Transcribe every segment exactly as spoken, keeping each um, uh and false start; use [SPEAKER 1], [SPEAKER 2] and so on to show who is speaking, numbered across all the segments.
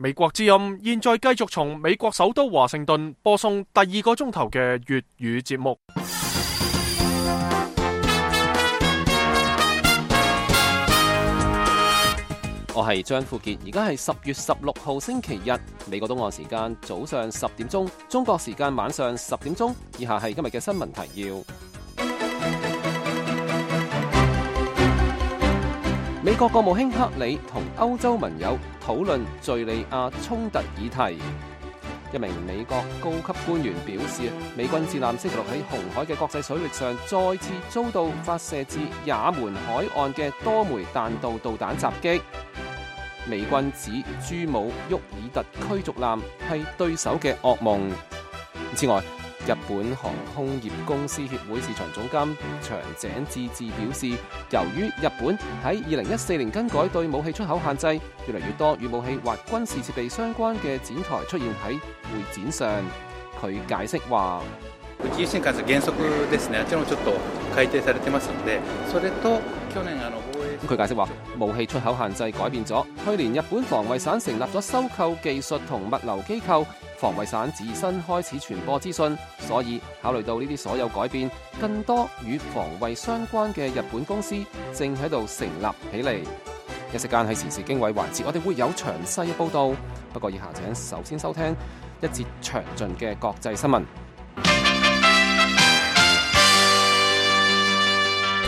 [SPEAKER 1] 美國之音現在繼續從美國首都華盛頓播送第二個鐘頭嘅粵語節目。
[SPEAKER 2] 我係張富傑，而家係十月十六號星期日，美國東岸時間早上十點鐘，中國時間晚上十點鐘。以下係今日嘅新聞提要。美國國務卿克里同歐洲盟友討論敘利亞衝突議題。一名美國高級官員表示，美軍戰艦星期六喺紅海嘅國際水域上再次遭到發射至也門海岸嘅多枚彈道導彈襲擊。美軍指朱姆沃爾特驅逐艦係對手嘅噩夢。此外，日本航空業公司協會市場總監長井智志表示，由於日本喺二零一四年更改對武器出口限制，越嚟越多與武器或軍事設備相關嘅展台出現喺會展上。佢解釋話：
[SPEAKER 3] 宇宙新幹線原則ですね。あちらもちょっと改定されてますので、それと去年あの防衛。
[SPEAKER 2] 佢解釋話，武器出口限制改變咗。去年日本防衛省成立咗收購技術同物流機構，防衛省自身開始傳播資訊，所以考慮到呢啲所有改變，更多與防衛相關嘅日本公司正喺度成立起嚟。一時間喺時事經緯環節，我哋會有詳細嘅報導。不過以下請首先收聽一節詳盡嘅國際新聞。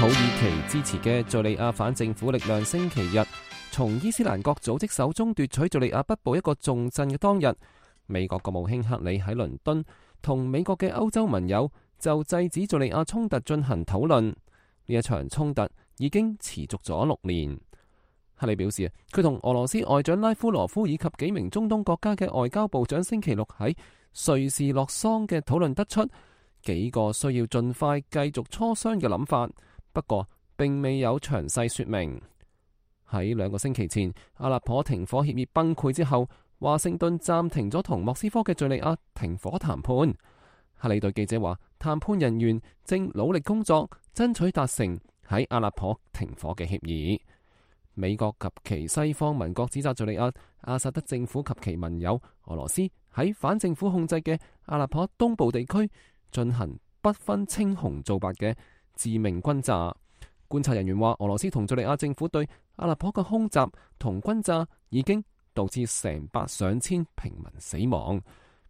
[SPEAKER 2] 土耳其支持嘅敘利亞反政府力量星期日從伊斯蘭國組織手中奪取敘利亞北部一個重鎮嘅當日，美國國務卿克里喺倫敦同美國嘅歐洲盟友就制止敘利亞衝突進行討論。呢一場衝突已經持續咗六年。克里表示，佢同俄羅斯外長拉夫羅夫以及幾名中東國家嘅外交部長星期六喺瑞士洛桑嘅討論得出幾個需要盡快繼續磋商嘅諗法。不過並未有詳細說明。喺兩個星期前，阿勒頗停火協議崩潰之後，華盛頓暫停咗同莫斯科嘅敘利亞停火談判。克里對記者話，談判人員正努力工作，爭取達成喺阿勒頗停火嘅協議。美國及其西方盟國指責敘利亞阿薩德政府及其盟友俄羅斯喺反政府控制嘅阿勒頗東部地區進行不分青紅皂白嘅致命轟炸。觀察人員話，俄羅斯同敘利亞政府對阿勒頗嘅空襲同轟炸已經導致成百上千平民死亡，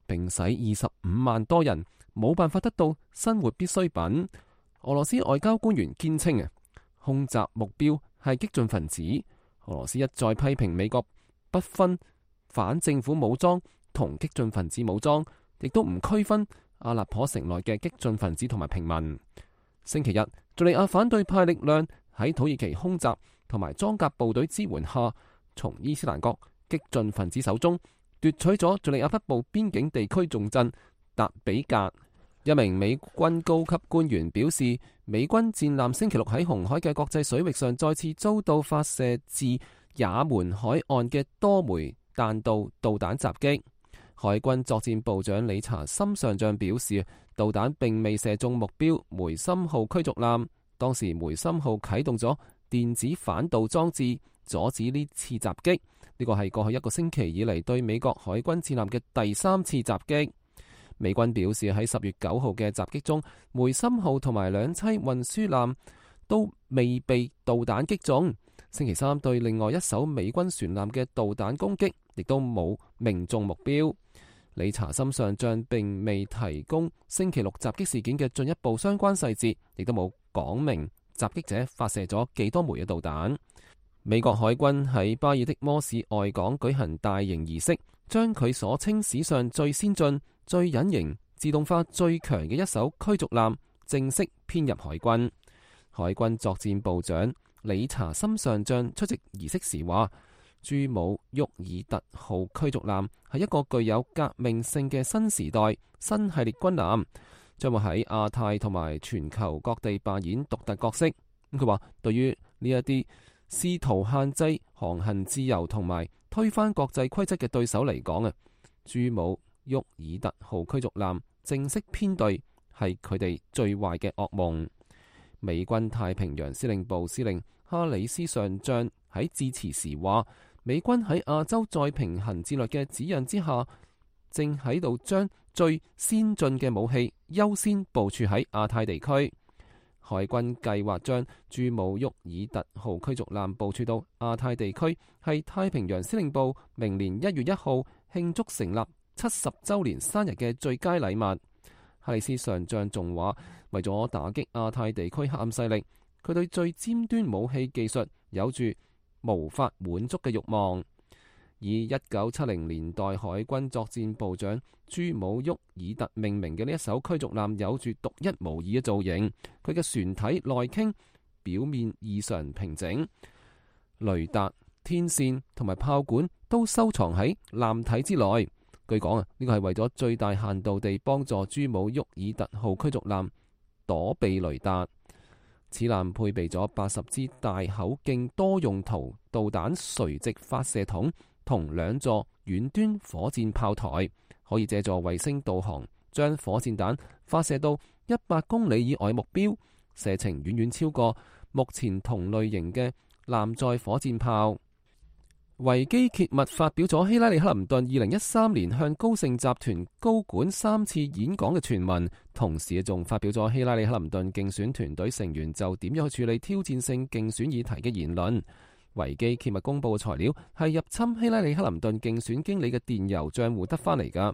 [SPEAKER 2] 並使二十五萬多人冇辦法得到生活必需品。俄羅斯外交官員堅稱啊，空襲目標係激進分子。俄羅斯一再批評美國不分反政府武裝同激進分子武裝，亦都唔區分阿勒頗城內嘅激進分子同埋平民。星期日，敘利亞反對派力量喺土耳其空襲同埋裝甲部隊支援下，從伊斯蘭國激進分子手中奪取咗敘利亞北部邊境地區重鎮達比格。一名美軍高級官員表示，美軍戰艦星期六喺紅海嘅國際水域上再次遭到發射至也門海岸嘅多枚彈道導彈襲擊。海軍作戰部長理查森上將表示，導彈並未射中目標梅森號驅逐艦，當時梅森號啟動咗電子反導裝置，阻止呢次襲擊。呢個係過去一個星期以嚟對美國海軍戰艦嘅第三次襲擊。美軍表示喺十月九號嘅襲擊中，梅森號同埋兩棲運輸艦都未被導彈擊中。星期三對另外一艘美軍船艦嘅導彈攻擊，亦都冇命中目標。理查森上將並未提供星期六襲擊事件嘅進一步相關細節，亦都冇講明襲擊者發射咗幾多枚嘅導彈。美國海軍喺巴爾的摩市外港舉行大型儀式，將佢所稱史上最先進、最隱形、自動化最強嘅一艘驅逐艦正式編入海軍。海軍作戰部長理查森上將出席儀式時話，朱姆沃爾特號驅逐艦係一個具有革命性嘅新時代新系列軍艦，將會喺亞太同埋全球各地扮演獨特角色。咁佢話，對於呢一啲試圖限制航行自由同埋推翻國際規則嘅對手嚟講啊，朱姆沃爾特號驅逐艦正式編隊係佢哋最壞嘅噩夢。美軍太平洋司令部司令哈里斯上將喺致辭時話，美軍喺亞洲再平衡戰略嘅指引之下，正喺度將最先進嘅武器優先部署喺亞太地區。海軍計劃將朱姆沃爾特號驅逐艦部署到亞太地區，係太平洋司令部明年一月一號慶祝成立七十週年生日嘅最佳禮物。哈里斯上將仲話，為咗打擊亞太地區黑暗勢力，佢對最尖端武器技術有住無法滿足嘅慾望。以一九七零年代海軍作戰部長朱姆沃爾特命名嘅呢一艘驅逐艦有住獨一無二嘅造型，佢嘅船體內傾，表面異常平整，雷達、天線同埋炮管都收藏喺艦體之內。據講啊，呢個係為咗最大限度地幫助朱姆沃爾特號驅逐艦躲避雷達。此艦配備咗八十支大口徑多用途導彈垂直發射筒同兩座遠端火箭炮台，可以借助衛星導航將火箭彈發射到一百公里以外目標，射程遠遠超過目前同類型嘅艦載火箭炮。維基揭密發表咗希拉里克林頓二零一三年向高盛集團高管三次演講嘅傳聞，同時仲發表咗希拉里克林頓競選團隊成員就點樣去處理挑戰性競選議題嘅言論。維基揭密公布嘅材料係入侵希拉里克林頓競選經理嘅電郵賬戶得返嚟㗎。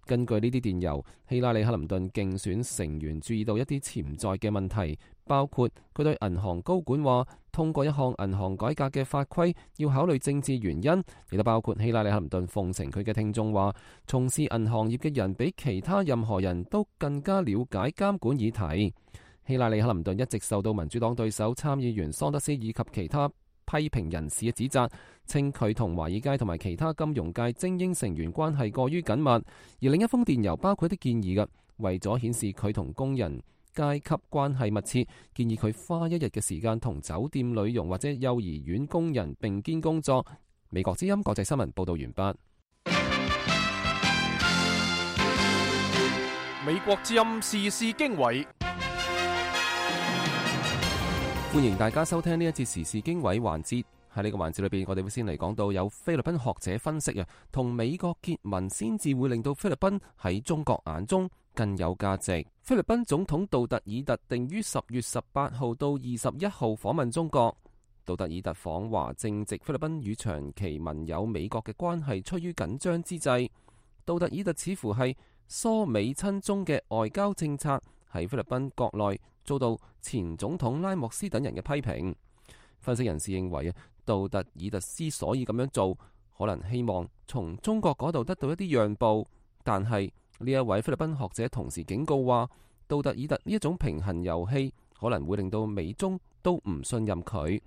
[SPEAKER 2] 根據呢啲電郵，希拉里克林頓競選成員注意到一啲潛在嘅問題，包括佢對銀行高管話通過一項銀行改革嘅法規要考慮政治原因，亦都包括希拉里克林頓奉承佢嘅聽眾話從事銀行業嘅人比其他任何人都更加了解監管議題。希拉里克林頓一直受到民主黨對手參議員桑德斯以及其他批評人士嘅指責，稱佢同華爾街同埋其他金融界精英成員關係過於緊密。而另一封電郵包括一啲建議嘅，為咗顯示佢同工人階級關係密切，建議佢花一日嘅時間同酒店女傭或者幼兒園工人並肩工作。美國之音國際新聞報道完畢。
[SPEAKER 1] 美國之音時事經緯。
[SPEAKER 2] 歡迎大家收聽呢一節時事經緯環節。喺呢個環節裏邊，我哋會先嚟講到有菲律賓學者分析啊，同美國結盟先至會令到菲律賓喺中國眼中更有價值。菲律賓總統杜特爾特定於十月十八號到二十一號訪問中國。杜特爾特訪華正值菲律賓與長期盟友美國嘅關係趨於緊張之際，杜特爾特似乎係疏美親中嘅外交政策喺菲律賓國內遭到前總統拉莫斯等人嘅批評。分析人士認為啊，杜特爾特之所以咁樣做，可能希望從中國嗰度得到一啲讓步。但係呢一位菲律賓學者同時警告話，杜特爾特呢一種平衡遊戲可能會令到美中都唔信任佢。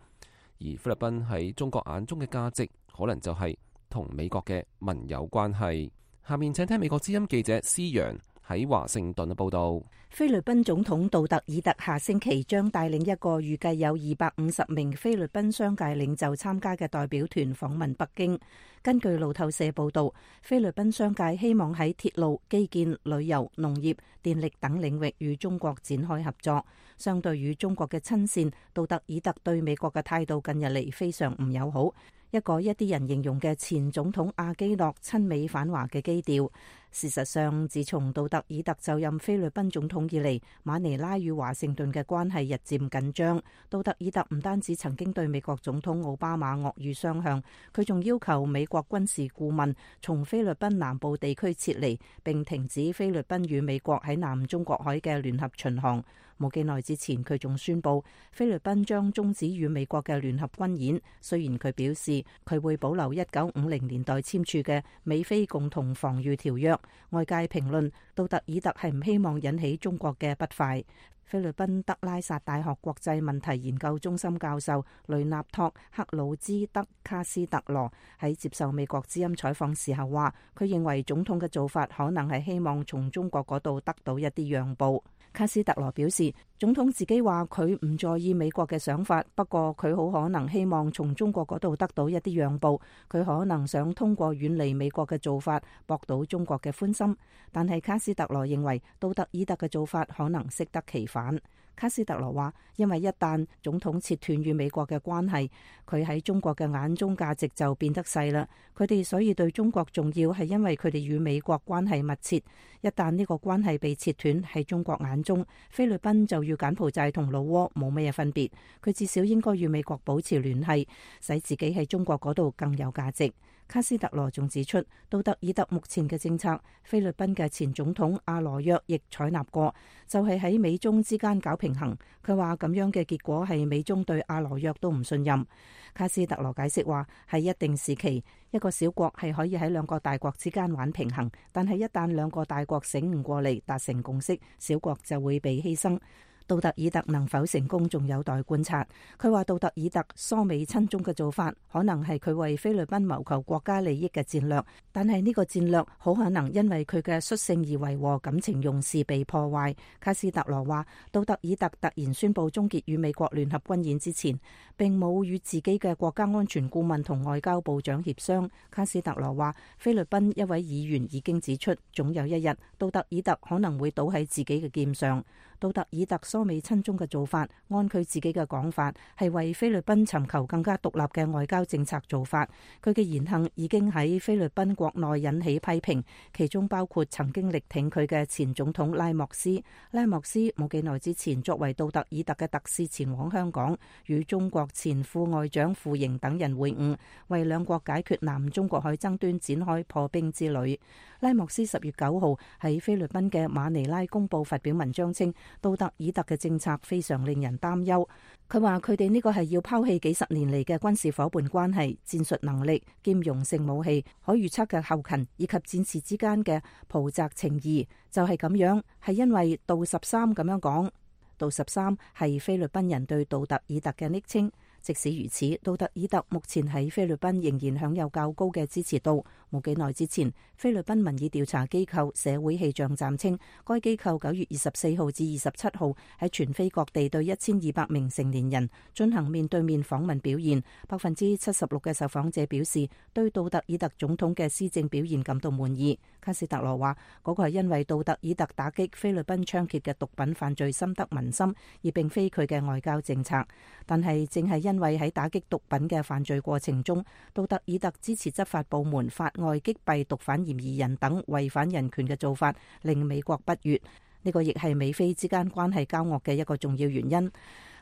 [SPEAKER 2] 而菲律賓喺中國眼中嘅價值，可能就係同美國嘅盟友關係。下面請聽美國之音記者施陽喺華盛頓嘅報道。
[SPEAKER 4] 菲律賓總統杜特爾特下星期將帶領一個預計有二百五十名菲律賓商界領袖參加嘅代表團訪問北京。根據路透社報道，菲律賓商界希望喺鐵路、基建、旅遊、農業、電力等領域與中國展開合作。相對於中國嘅親善，杜特爾特對美國嘅態度近日嚟非常唔友好。一個一啲人形容嘅前總統阿基諾親美反華嘅基調。事實上，自從杜特爾特就任菲律賓總統以嚟，馬尼拉與華盛頓嘅關係日漸緊張。杜特爾特唔單止曾經對美國總統奧巴馬惡語相向，佢仲要求美國軍事顧問從菲律賓南部地區撤離，並停止菲律賓與美國喺南中國海嘅聯合巡航。冇幾耐之前，佢仲宣布菲律賓將終止與美國嘅聯合軍演。雖然佢表示佢會保留一九五零年代簽署嘅美菲共同防禦條約，外界評論杜特爾特係唔希望引起中國嘅不快。菲律賓德拉薩大學國際問題研究中心教授雷納托克魯茲德卡斯特羅喺接受美國之音採訪時候話，佢認為總統嘅做法可能係希望從中國嗰度得到一啲讓步。卡斯特羅表示，總統自己話佢唔在意美國嘅想法，不過佢好可能希望從中國嗰度得到一啲讓步。佢可能想通過遠離美國嘅做法博到中國嘅歡心。但係卡斯特羅認為杜特爾特嘅做法可能適得其反。卡斯特羅話，因為一旦總統切斷與美國嘅關係，佢喺中國嘅眼中價值就變得細啦。佢哋所以對中國重要，係因為佢哋與美國關係密切。一旦呢個關係被切斷，喺中國眼中，菲律賓就與柬埔寨同老撾冇乜嘢分別。佢至少應該與美國保持聯繫，使自己喺中國嗰度更有價值。卡斯特羅仲指出，杜特爾特目前嘅政策，菲律賓嘅前總統阿羅約亦採納過，就係喺美中之間搞平衡。佢話咁樣嘅結果係美中對阿羅約都唔信任。卡斯特羅解釋話，喺一定時期，一個小國係可以喺兩個大國之間玩平衡，但係一旦兩個大國醒悟過嚟，達成共識，小國就會被犧牲。杜特爾特能否成功，仲有待觀察。佢話杜特爾特疏美親中嘅做法，可能係佢為菲律賓謀求國家利益嘅戰略，但係呢個戰略好可能因為佢嘅率性而為和感情用事被破壞。卡斯特羅話，杜特爾特突然宣布終結與美國聯合軍演之前，並冇與自己嘅國家安全顧問同外交部長協商。卡斯特羅話，菲律賓一位議員已經指出，總有一日杜特爾特可能會倒喺自己嘅劍上。杜特爾特疏美親中嘅做法，按佢自己嘅講法，係為菲律賓尋求更加獨立嘅外交政策做法。佢嘅言行已經喺菲律賓國內引起批評，其中包括曾經力挺佢嘅前總統拉莫斯。拉莫斯冇幾耐之前作為杜特爾特嘅特使前往香港，與中國前副外長傅瑩等人會晤，為兩國解決南中國海爭端展開破冰之旅。拉莫斯十月九號喺菲律賓嘅馬尼拉公報發表文章稱，杜特爾特嘅政策非常令人擔憂。佢話佢哋呢個係要拋棄幾十年嚟嘅軍事夥伴關係、戰術能力、兼容性武器、可預測嘅後勤以及戰士之間嘅袍澤情誼，就係咁樣，係因為杜十三咁樣講。杜十三係菲律賓人對杜特爾特嘅昵稱。即使如此，杜特爾特目前喺菲律賓仍然享有較高嘅支持度。冇幾耐之前，菲律賓民意調查機構社會氣象站稱，該機構九月二十四號至二十七號喺全菲各地對一千二百名成年人進行面對面訪問表現，百分之七十六嘅受訪者表示對杜特爾特總統嘅施政表現感到滿意。卡斯特羅話，嗰個係因為杜特爾特打擊菲律賓猖獗嘅毒品犯罪深得民心，而並非佢嘅外交政策。但係正係因為喺打擊毒品嘅犯罪過程中，杜特爾特支持執法部門法外擊斃毒販嫌疑人等違反人權嘅做法，令美國不悅。呢個亦係美菲之間關係交惡嘅一個重要原因。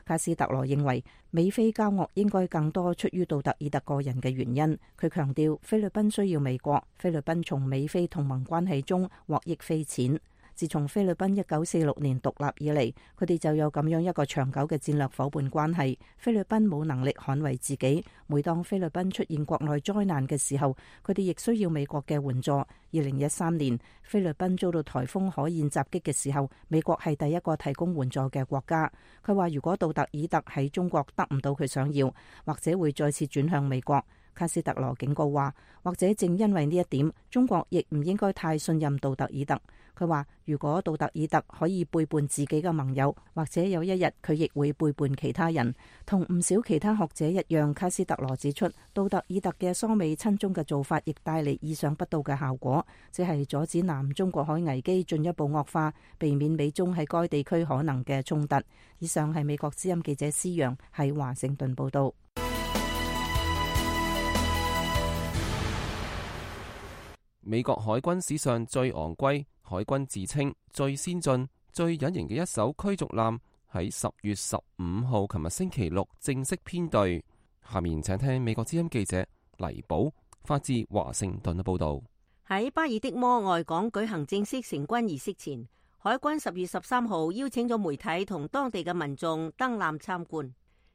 [SPEAKER 4] 卡斯特羅認為，美菲交惡應該更多出於杜特爾特個人嘅原因。佢強調，菲律賓需要美國，菲律賓從美菲同盟關係中獲益匪淺。自從菲律賓一九四六年獨立以嚟，佢哋就有咁樣一個長久嘅戰略夥伴關係。菲律賓冇能力捍衛自己，每當菲律賓出現國內災難嘅時候，佢哋亦需要美國嘅援助。二零一三年，菲律賓遭到颱風可燕襲擊嘅時候，美國係第一個提供援助嘅國家。佢話，如果杜特爾特喺中國得唔到佢想要，或者會再次轉向美國。卡斯特羅警告話，或者正因為呢一點，中國亦唔應該太信任杜特爾特。佢話，如果杜特爾特可以背叛自己嘅盟友，或者有一日佢亦會背叛其他人。同唔少其他學者一樣，卡斯特羅指出，杜特爾特嘅疏美親中嘅做法亦帶嚟意想不到嘅效果，即係阻止南中國海危機進一步惡化，避免美中喺該地區可能嘅衝突。以上係美國之音記者施陽喺華盛頓報道。
[SPEAKER 2] 美國海軍史上最昂貴、海軍自稱最先進、最隱形嘅一艘驅逐艦喺十月十五號琴日星期六正式編隊。下面請聽美國之音記者黎寶發自華盛頓嘅報道。
[SPEAKER 5] 喺巴爾的摩外港舉行正式成軍儀式前，海軍十月十三號邀請咗媒體同當地嘅民眾登艦參觀。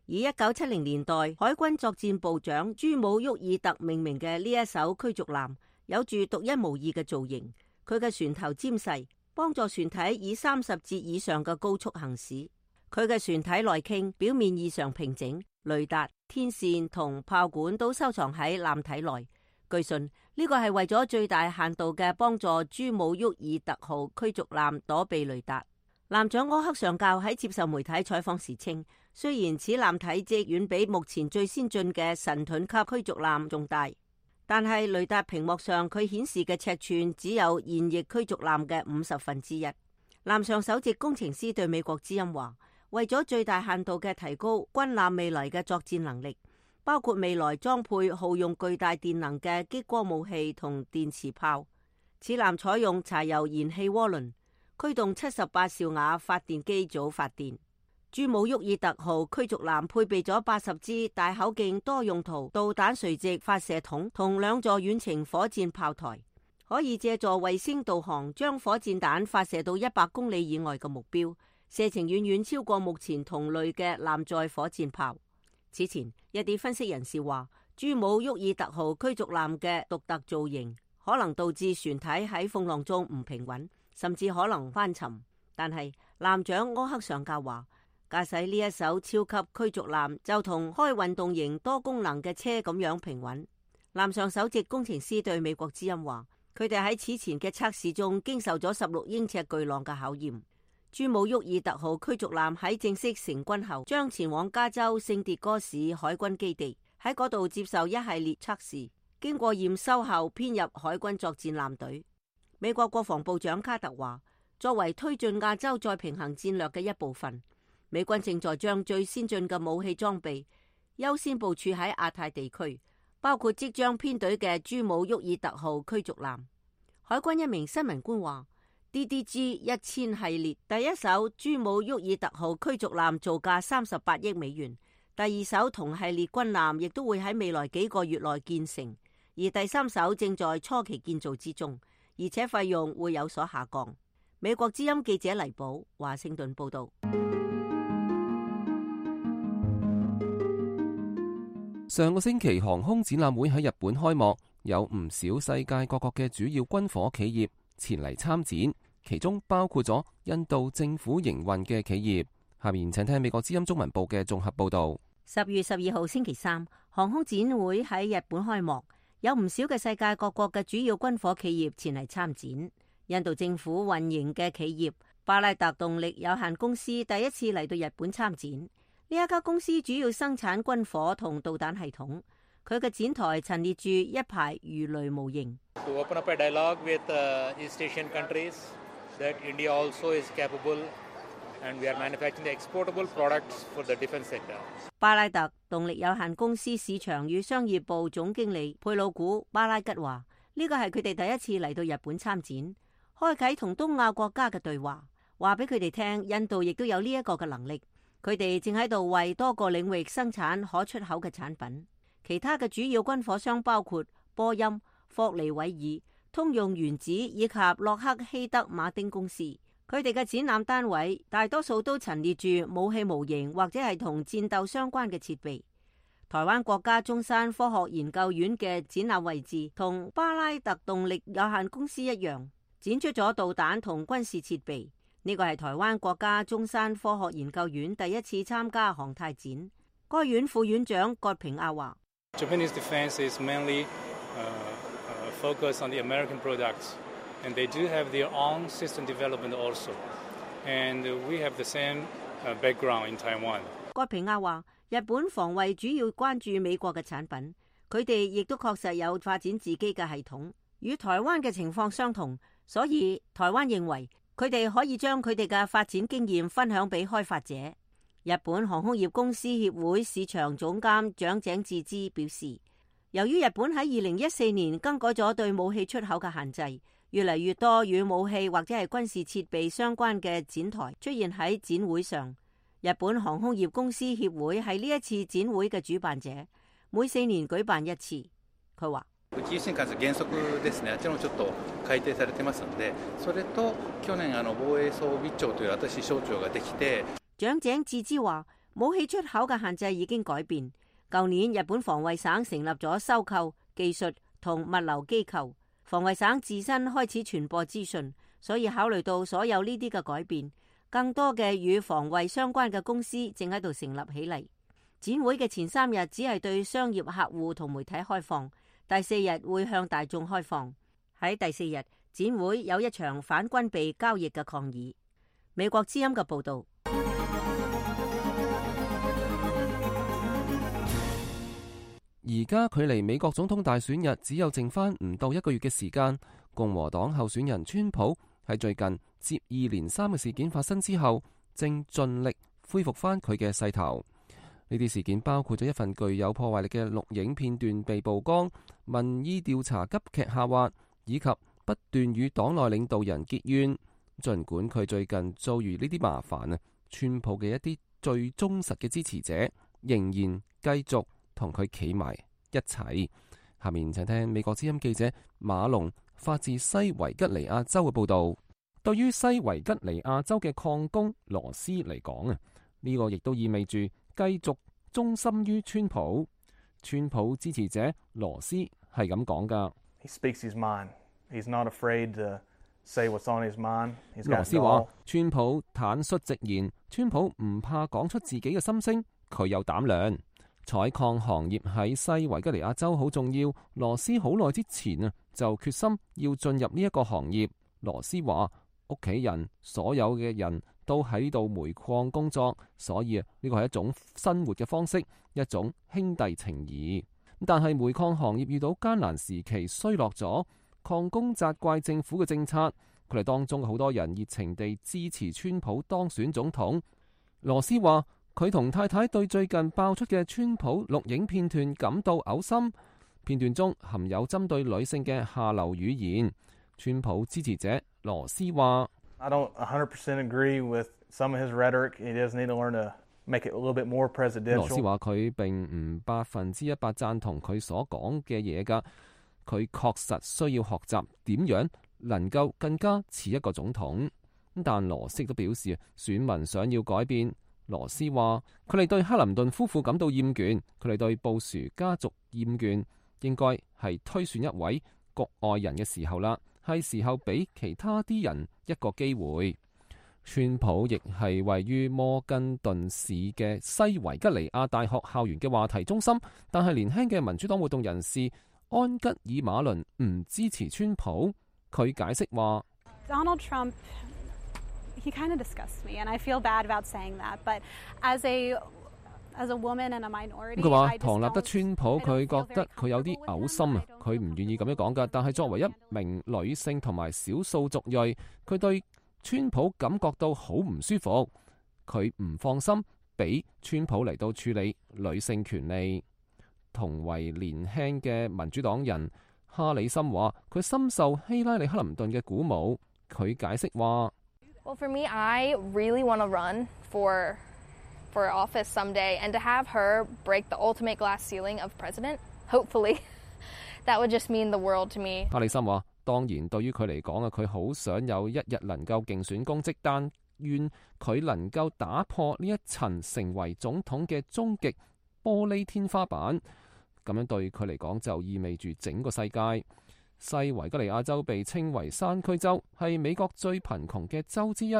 [SPEAKER 5] 以一九七零年代海軍作戰部長朱姆沃爾特命名嘅呢一艘驅逐艦，有住獨一無二嘅造型，佢嘅船頭尖細，幫助船體以三十節以上嘅高速行駛。佢嘅船體內傾表面異常平整，雷達、天線同炮管都收藏喺艦體內。據信呢個係為咗最大限度嘅幫助朱姆沃爾特號驅逐艦躲避雷達。艦長柯克上校喺接受媒體採訪時稱，雖然此艦體積遠比目前最先進嘅神盾級驅逐艦仲大，但係雷達屏幕上佢顯示嘅尺寸只有現役驅逐艦嘅五十分之一。艦上首席工程師對美國之音話，為咗最大限度嘅提高軍艦未來嘅作戰能力，包括未來裝配耗用巨大電能嘅激光武器同電磁炮。此艦採用柴油燃氣渦輪，驅動七十八兆瓦發電機組發電。朱姆沃爾特號驅逐艦配備咗八十支大口徑多用途導彈垂直發射筒同兩座遠程火箭炮台，可以借助衛星導航將火箭彈發射到一百公里以外嘅目標，射程遠遠超過目前同類嘅艦載火箭炮。此前，一啲分析人士話，朱姆沃爾特號驅逐艦嘅獨特造型可能導致船體喺風浪中唔平穩，甚至可能翻沉。但係艦長柯克上校話，駕駛呢一艘超級驅逐艦就同開運動型多功能嘅車咁樣平穩。艦上首席工程師對美國之音話，佢哋喺此前嘅測試中經受咗十六英尺巨浪嘅考驗。朱姆沃爾特號驅逐艦喺正式成軍後，將前往加州聖迭戈市海軍基地，喺嗰度接受一系列測試，經過驗收後編入海軍作戰艦隊。美國國防部長卡特話，作為推進亞洲再平衡戰略嘅一部分，美軍正在將最先進嘅武器裝備優先部署喺亞太地區，包括即將編隊嘅朱姆沃爾特號驅逐艦。海軍一名新聞官話， D D G 一千系列第一艘朱姆沃爾特號驅逐艦造價三十八億美元，第二艘同系列軍艦亦都會喺未來幾個月內建成，而第三艘正在初期建造之中，而且費用會有所下降。美國之音記者黎寶華盛頓報道。
[SPEAKER 2] 上個星期航空展覽會喺日本開幕，有唔少世界各國嘅主要軍火企業前嚟參展，其中包括咗印度政府營運嘅企業。下面請聽美國之音中文部嘅綜合報道。
[SPEAKER 5] 十月十二號星期三，航空展會喺日本開幕，有唔少嘅世界各國嘅主要軍火企業前嚟參展。印度政府運營嘅企業巴拉特動力有限公司第一次嚟到日本參展。呢一家公司主要生產軍火同導彈系統，佢嘅展台陳列住一排魚雷模型。
[SPEAKER 3] To open up a dialogue with East Asian countries that India also is capable and we are manufacturing the exportable products for the defense sector.
[SPEAKER 5] 巴拉特動力有限公司市場與商業部總經理佩魯古巴拉吉話：呢個係佢哋第一次嚟到日本參展，開啟同東亞國家嘅對話，話俾佢哋聽，印度亦都有呢一個嘅能力。佢哋正喺度為多個領域生產可出口嘅產品。其他嘅主要軍火商包括波音、霍尼韋爾、通用原子以及洛克希德馬丁公司。佢哋嘅展覽單位大多數都陳列住武器模型或者係同戰鬥相關嘅設備。台灣國家中山科學研究院嘅展覽位置同巴拉特動力有限公司一樣，展出咗導彈同軍事設備。呢個係台灣國家中山科學研究院第一次參加航太展。該院副院長葛平亞話
[SPEAKER 6] ：Japanese defense is mainly uh, focused on the American products, and they do have their own system development also. And we have the same background in Taiwan.
[SPEAKER 5] 葛平亞話：日本防衛主要關注美國嘅產品，佢哋亦都確實有發展自己嘅系統，與台灣嘅情況相同，所以台灣認為佢哋可以將佢哋嘅發展經驗分享俾開發者。日本航空業公司協會市場總監長井智之表示，由於日本喺二零一四年更改咗對武器出口嘅限制，越嚟越多與武器或者係軍事設備相關嘅展台出現喺展會上。日本航空業公司協會係呢一次展會嘅主辦者，每四年舉辦一次。佢話
[SPEAKER 3] 宇宙新幹線原則ですね、あちらもちょっと改定されてますので、それと去年あの防衛裝備庁という新しい省庁ができて。
[SPEAKER 5] 長井智之話：武器出口嘅限制已經改變。舊年日本防衛省成立咗收購、技術同物流機構，防衛省自身開始傳播資訊，所以考慮到所有呢啲嘅改變，更多嘅與防衛相關嘅公司正喺度成立起嚟。展會嘅前三日只係對商業客戶同媒體開放，第四日會向大眾開放。喺第四日，展會有一場反軍備交易嘅抗議。美國之音嘅報導。
[SPEAKER 2] 而家距離美國總統大選日只有剩翻唔到一個月嘅時間，共和黨候選人川普喺最近接二連三嘅事件發生之後，正盡力恢復翻佢嘅勢頭。呢啲事件包括咗一份具有破壞力嘅錄影片段被曝光、民意調查急劇下滑，以及不斷與黨內領導人結怨。儘管佢最近遭遇呢啲麻煩啊，川普嘅一啲最忠實嘅支持者仍然繼續同佢企埋一齊。下面請聽美國之音記者馬龍發自西維吉尼亞州嘅報導。對於西維吉尼亞州嘅礦工羅斯嚟講啊，呢個亦都意味住繼續忠心於川普。川普支持者羅斯係咁講㗎。
[SPEAKER 7] He speaks his mind. He's not afraid to say what's on his mind. He's got
[SPEAKER 2] 羅斯話：川普坦率直言，川普唔怕講出自己嘅心聲，佢有膽量。採礦行業喺西維吉尼亞州好重要。羅斯好耐之前啊就決心要進入呢一個行業。羅斯話：屋企人所有嘅人都喺呢度煤礦工作，所以啊呢個係一種生活嘅方式，一種兄弟情誼。但係煤礦行業遇到艱難時期衰落咗，礦工責怪政府嘅政策。佢哋當中好多人熱情地支持川普當選總統。羅斯話：佢同太太對最近爆出嘅川普錄影片段感到嘔心，片段中含有針對女性嘅下流語言。川普支持者羅斯話
[SPEAKER 7] I don't one hundred percent agree with some of his rhetoric. He does need to learn to make it a little bit more presidential.
[SPEAKER 2] 羅斯話佢並唔百分之一百贊同佢所講嘅嘢㗎，佢確實需要學習點樣能夠更加似一個總統。但羅斯亦都表示選民想要改變。羅斯話佢哋對克林頓夫婦感到厭倦，佢哋對布殊家族厭倦，應該係推選一位局外人嘅時候啦，係時候俾其他啲人一個機會。川普亦係位於摩根頓市嘅西維吉尼亞大學校園嘅話題中心，但係年輕嘅民主黨活動人士安吉爾馬倫唔支持川普。佢解釋話
[SPEAKER 8] Donald Trump He kind of disgusts me, and I feel bad about saying that. But as a as a woman and a minority,
[SPEAKER 2] 佢話唐納德川普，佢覺得佢有啲嘔心啊，佢唔願意咁樣講噶。但係作為一名女性同埋少數族裔，佢對川普感覺到好唔舒服，佢唔放心俾川普嚟到處理女性權利。同為年輕嘅民主黨人哈里森話，佢深受希拉里克林頓嘅鼓舞。佢解釋話。
[SPEAKER 9] Well, for me, I really want to run for for office someday, and to have her break the ultimate glass ceiling of president, hopefully, that would just mean the world to me.
[SPEAKER 2] 哈里森話：當然，對於佢嚟講啊，佢好想有一日能夠競選公職，但願佢能夠打破呢一層成為總統嘅終極玻璃天花板。咁樣對佢嚟講就意味住整個世界。西維吉尼亞州被稱為山區州，係美國最貧窮嘅州之一。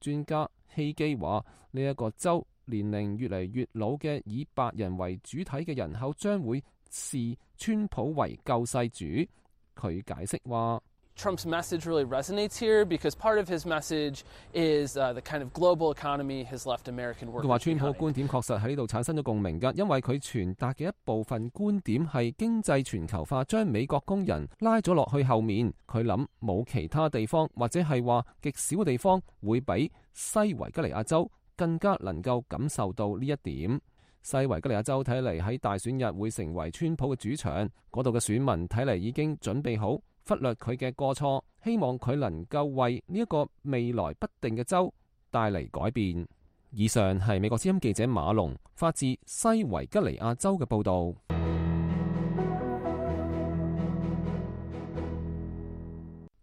[SPEAKER 2] 專家希基話：呢一個州年齡越嚟越老嘅以白人為主體嘅人口將會視川普為救世主。佢解釋話
[SPEAKER 10] Trump's message really resonates here because part of his message is uh, the kind of global economy has left American workers behind.
[SPEAKER 2] 佢話川普嘅觀點確實喺呢度產生咗共鳴㗎，因為佢傳達嘅一部分觀點係經濟全球化將美國工人拉咗落去後面。佢諗冇其他地方或者係話極少嘅地方會比西維吉尼亞州更加能夠感受到呢一點。西維吉尼亞州睇嚟喺大選日會成為川普嘅主場，嗰度嘅選民睇嚟已經準備好忽略佢嘅過錯，希望佢能夠為呢一個未來不定嘅州帶嚟改變。以上係美國之音記者馬龍發自西維吉尼亞州嘅報導。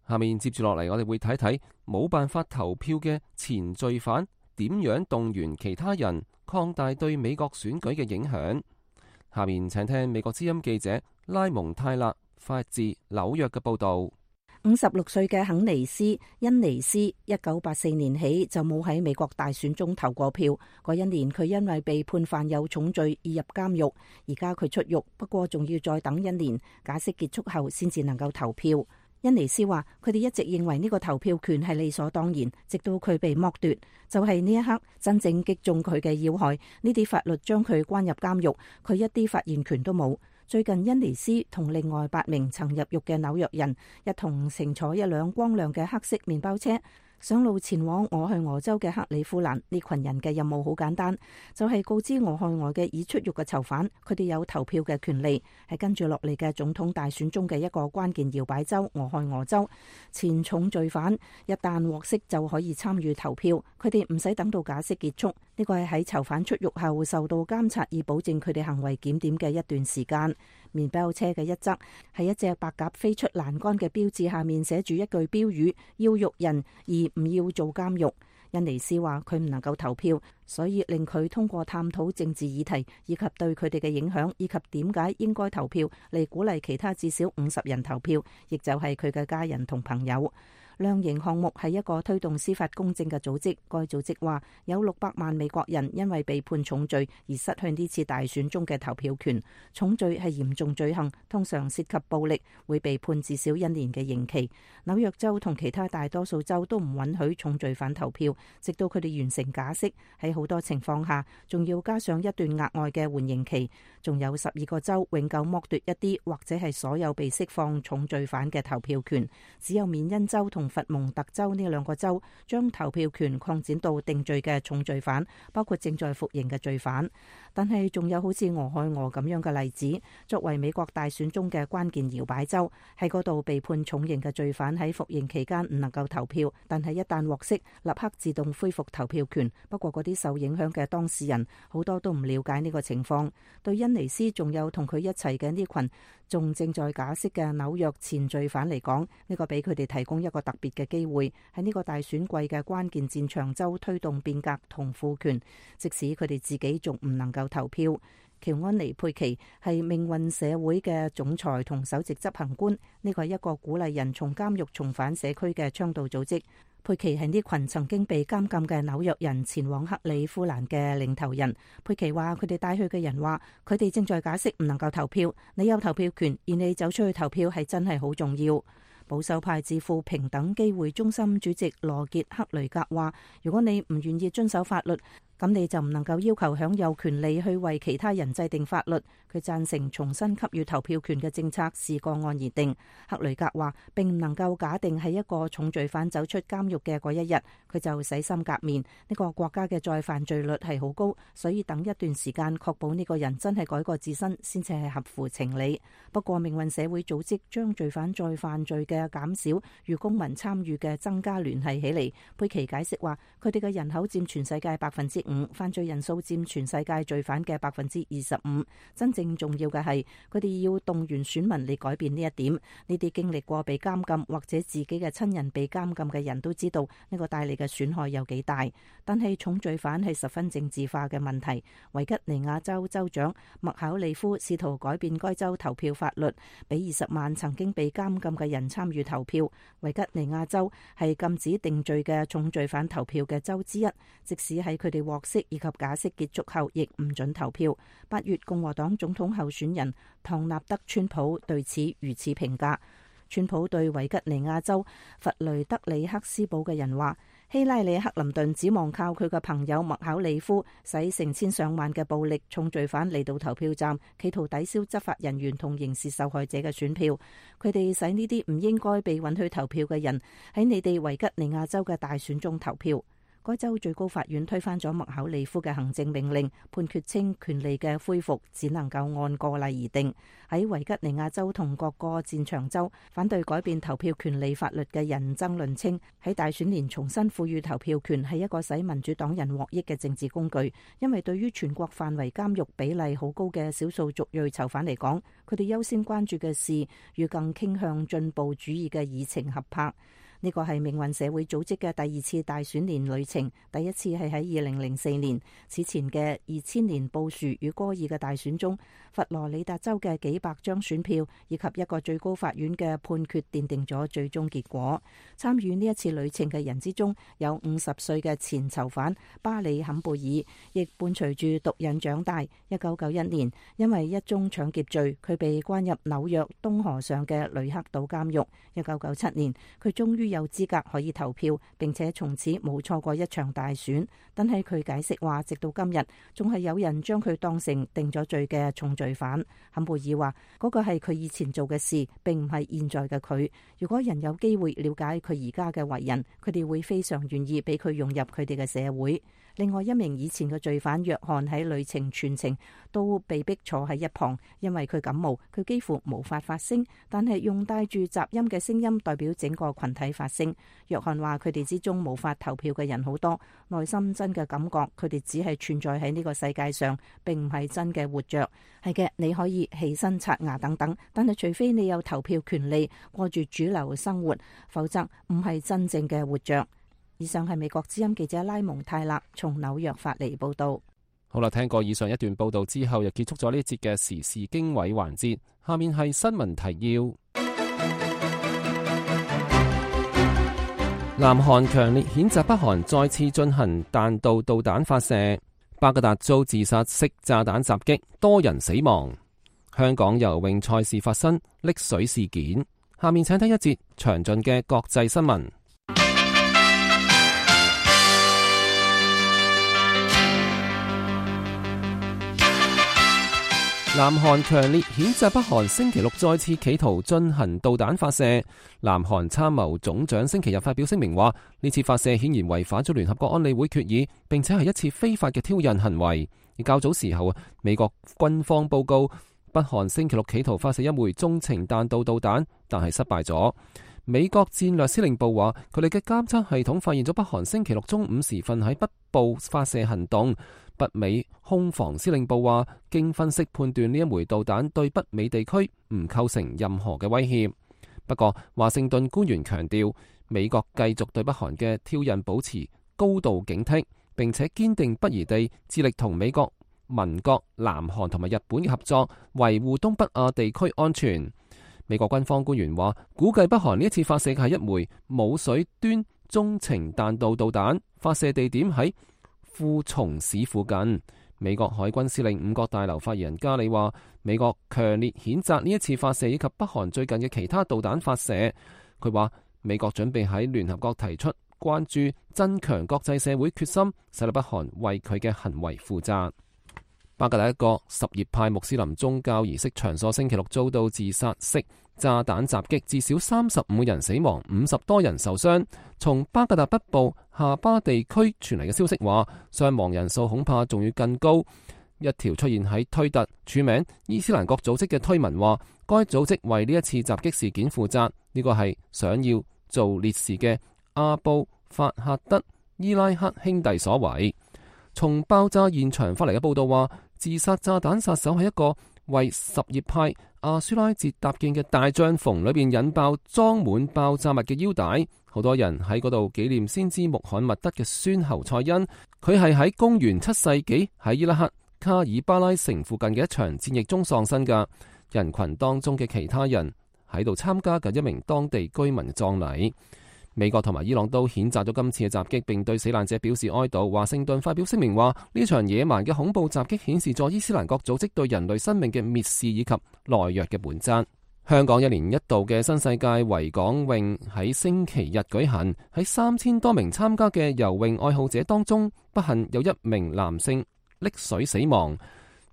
[SPEAKER 2] 下面接住落嚟，我哋會睇睇冇辦法投票嘅前罪犯點樣動員其他人擴大對美國選舉嘅影響。下面請聽美國之音記者拉蒙泰勒發自紐約嘅報道。
[SPEAKER 4] 五十六歲嘅肯尼斯恩尼斯，一九八四年起就冇喺美國大選中投過票。嗰一年佢因為被判犯有重罪而入監獄，而家佢出獄，不過仲要再等一年，假釋結束後先至能夠投票。恩尼斯話：佢哋一直認為呢個投票權係理所當然，直到佢被剝奪，就係呢一刻真正擊中佢嘅要害。呢啲法律將佢關入監獄，佢一啲發言權都冇。最近恩尼斯同另外八名曾入獄嘅紐約人一同乘坐一輛光亮嘅黑色麵包車，上路前往俄亥俄州嘅克里夫蘭，呢群人嘅任務好簡單，就係告知俄亥俄嘅已出獄嘅囚犯，佢哋有投票嘅權利，係跟住落嚟嘅總統大選中嘅一個關鍵搖擺州俄亥俄州。前重罪犯一旦獲釋就可以參與投票，佢哋唔使等到假釋結束。呢個係喺囚犯出獄後受到監察，以保證佢哋行為檢點嘅一段時間。麵包車嘅一側係一隻白鴿飛出欄杆嘅標誌，下面寫住一句標語：要獄人而唔要做監獄。恩尼斯話佢唔能夠投票，所以令佢通過探討政治議題以及對佢哋嘅影響，以及點解應該投票嚟鼓勵其他至少五十人投票，亦就係佢嘅家人同朋友。量刑項目係一個推動司法公正嘅組織，該組織話有六百萬美國人因為被判重罪而失去呢次大選中嘅投票權。重罪係嚴重罪行，通常涉及暴力，會被判至少一年嘅刑期。紐約州同其他大多數州都唔允許重罪犯投票，直到佢哋完成假釋。喺好多情況下，仲要加上一段額外嘅緩刑期。仲有十二個州永久剝奪一啲或者係所有被釋放重罪犯嘅投票權，只有緬因州同佛蒙特州呢兩個州將投票權擴展到定罪嘅重罪犯，包括正在服刑嘅罪犯。但係仲有好似俄亥俄咁樣嘅例子，作為美國大選中嘅關鍵搖擺州，喺嗰度被判重刑嘅罪犯喺服刑期間唔能夠投票，但係一旦獲釋，立刻自動恢復投票權。不過嗰啲受影響嘅當事人好多都唔了解呢個情況。對恩尼斯仲有同佢一齊嘅呢群仲正在假釋嘅紐約前罪犯嚟講，呢個俾佢哋提供一個特別嘅機會，喺呢個大選季嘅關鍵戰場州推動變革同賦權，即使佢哋自己仲唔能夠投票。喬安妮佩奇係命運社會嘅總裁同首席執行官，呢個係一個鼓勵人從監獄重返社區嘅倡導組織。佩奇係呢群曾經被監禁嘅紐約人前往克里夫蘭嘅領頭人。佩奇話佢哋帶去嘅人話，佢哋正在假釋唔能夠投票，你有投票權，而你走出去投票係真係好重要。保守派智庫平等機會中心主席羅傑克雷格話，如果你唔願意遵守法律，咁你就唔能夠要求享有權利去為其他人制定法律。佢贊成重新給予投票權嘅政策視個案而定。克雷格話並唔能夠假定係一個重罪犯走出監獄嘅嗰一日，佢就洗心革面。呢個國家嘅再犯罪率係好高，所以等一段時間確保呢個人真係改過自新先至係合乎情理。不過命運社會組織將罪犯再犯罪嘅減少與公民參與嘅增加聯繫起嚟。佩奇解釋話，佢哋嘅人口佔全世界百分之五，犯罪人數佔全世界罪犯嘅百分之二十五。真正重要嘅係，佢哋要動員選民嚟改變呢一點。呢啲經歷過被監禁或者自己嘅親人被監禁嘅人都知道呢個帶嚟嘅損害有幾大。但係重罪犯係十分政治化嘅問題。維吉尼亞州州長麥考利夫試圖改變該州投票法律，俾二十萬曾經被監禁嘅人參與投票。維吉尼亞州係禁止定罪嘅重罪犯投票嘅州之一，即使喺佢哋獲釋以及假釋結束後，亦唔准投票。八月共和黨總統候選人唐納德川普對此如此評價。川普對維吉尼亞州弗雷德里克斯堡嘅人話，希拉里克林頓指望靠佢嘅朋友麥考利夫使成千上萬嘅暴力重罪犯嚟到投票站，企圖抵消執法人員同刑事受害者嘅選票。佢哋使呢啲唔應該被允許投票嘅人喺你哋維吉尼亞州嘅大選中投票。該州最高法院推翻咗麥考利夫嘅行政命令，判決稱權利嘅恢復只能夠按個例而定。喺維吉尼亞州同各個戰場州，反對改變投票權利法律嘅人爭論稱，喺大選年重新賦予投票權係一個使民主黨人獲益嘅政治工具，因為對於全國範圍監獄比例好高嘅少數族裔囚犯嚟講，佢哋優先關注嘅事與更傾向進步主義嘅議程合拍。呢個係命運社會組織嘅第二次大選年旅程，第一次係喺二零零四年。此前嘅二千年布殊與戈爾嘅大選中，佛羅里達州嘅幾百張選票以及一個最高法院嘅判決奠定咗最終結果。參與呢一次旅程嘅人之中，有五十歲嘅前囚犯巴里坎貝爾，亦伴隨住毒癮長大。一九九一年，因為一宗搶劫罪，佢被關入紐約東河上嘅雷克島監獄。一九九七年，佢終於有資格可以投票，並且從此冇錯過一場大選。但係佢解釋話，直到今日仲係有人將佢當成定咗罪嘅重罪犯。坎貝爾話嗰個係佢以前做嘅事，並唔係現在嘅佢。如果人有機會了解佢而家嘅為人，佢哋會非常願意俾佢融入佢哋嘅社會。另外一名以前嘅罪犯約翰喺旅程全程都被逼坐喺一旁，因為佢感冒，佢幾乎無法發聲，但係用帶住雜音嘅聲音代表整個群體發聲。約翰話佢哋之中無法投票嘅人好多，內心真嘅感覺佢哋只係存在喺呢個世界上，並唔係真嘅活着。係嘅，你可以起身刷牙等等，但係除非你有投票權利，過住主流生活，否則唔係真正嘅活着。以上係美國之音記者拉蒙泰勒從紐約發嚟報道。
[SPEAKER 2] 好啦，聽過以上一段報道之後，又結束咗呢一節嘅時事經緯環節。下面係新聞提要。南韓強烈譴責北韓再次進行彈道導彈發射，巴格達遭自殺式炸彈襲擊，多人死亡。香港游泳賽事發生溺水事件。下面請睇一節詳盡嘅國際新聞。南韓強烈譴責北韓星期六再次企圖進行導彈發射。南韓參謀總長星期日發表聲明話，呢次發射顯然違反咗聯合國安理會決議，並且係一次非法嘅挑釁行為。而較早時候，美國軍方報告北韓星期六企圖發射一枚中程彈道導彈，但係失敗咗。美國戰略司令部話，佢哋嘅監測系統發現咗北韓星期六中午時分喺北部發射行動。北美空防司令部話，經分析判斷呢一枚導彈對北美地區唔構成任何嘅威脅。不過，華盛頓官員強調，美國繼續對北韓嘅挑釁保持高度警惕，並且堅定不移地致力同美國盟國南韓同埋日本嘅合作，維護東北亞地區安全。美國軍方官員話，估計北韓呢一次發射嘅係一枚冇水端中程彈道導彈，發射地點喺富松市附近。美國海軍司令五角大樓發言人加里話，美國強烈譴責呢一次發射以及北韓最近嘅其他導彈發射。佢話，美國準備喺聯合國提出關注，增強國際社會決心，使到北韓為佢嘅行為負責。巴格達一個什葉派穆斯林宗教儀式場所星期六遭到自殺式炸彈襲擊，至少三十五人死亡，五十多人受傷。從巴格達北部夏巴地區傳嚟嘅消息話，傷亡人數恐怕仲要更高。一條出現喺推特署名伊斯蘭國組織嘅推文話，該組織為呢一次襲擊事件負責，呢個係想要做烈士嘅阿布法赫德伊拉克兄弟所為。從爆炸現場發嚟嘅報道話，自殺炸彈殺手係一個為什葉派阿舒拉節搭建嘅大帳篷裏邊引爆裝滿爆炸物嘅腰帶，好多人喺嗰度紀念先知穆罕默德嘅孫侯賽因。佢係喺公元七世紀喺伊拉克卡爾巴拉城附近嘅一場戰役中喪生㗎。人群當中嘅其他人喺度參加緊一名當地居民嘅葬禮。美國同埋伊朗都譴責咗今次嘅襲擊，並對死難者表示哀悼。華盛頓發表聲明話，呢場野蠻嘅恐怖襲擊顯示咗伊斯蘭國組織對人類生命嘅蔑視以及懦弱嘅本質。香港一年一度嘅新世界維港泳喺星期日舉行，喺三千多名參加嘅游泳愛好者當中，不幸有一名男性溺水死亡，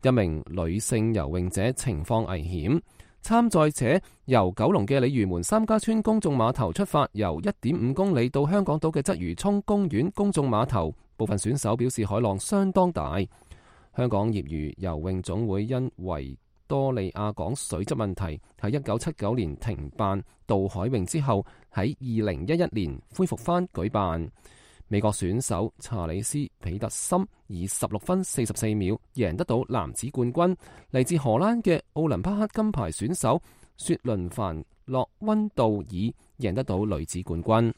[SPEAKER 2] 一名女性游泳者情況危險。參賽者由九龍嘅鯉魚門三家村公眾碼頭出發，游一點五公里到香港島嘅鰂魚涌公園公眾碼頭。部分選手表示海浪相當大。香港業餘游泳總會因維多利亞港水質問題，喺一九七九年停辦渡海泳之後，喺二零一一年恢復返舉辦。美國選手查理斯彼得森以十六分四十四秒贏得到男子冠軍。嚟自荷蘭嘅奧林匹克金牌選手雪倫凡洛溫道爾贏得到女子冠軍。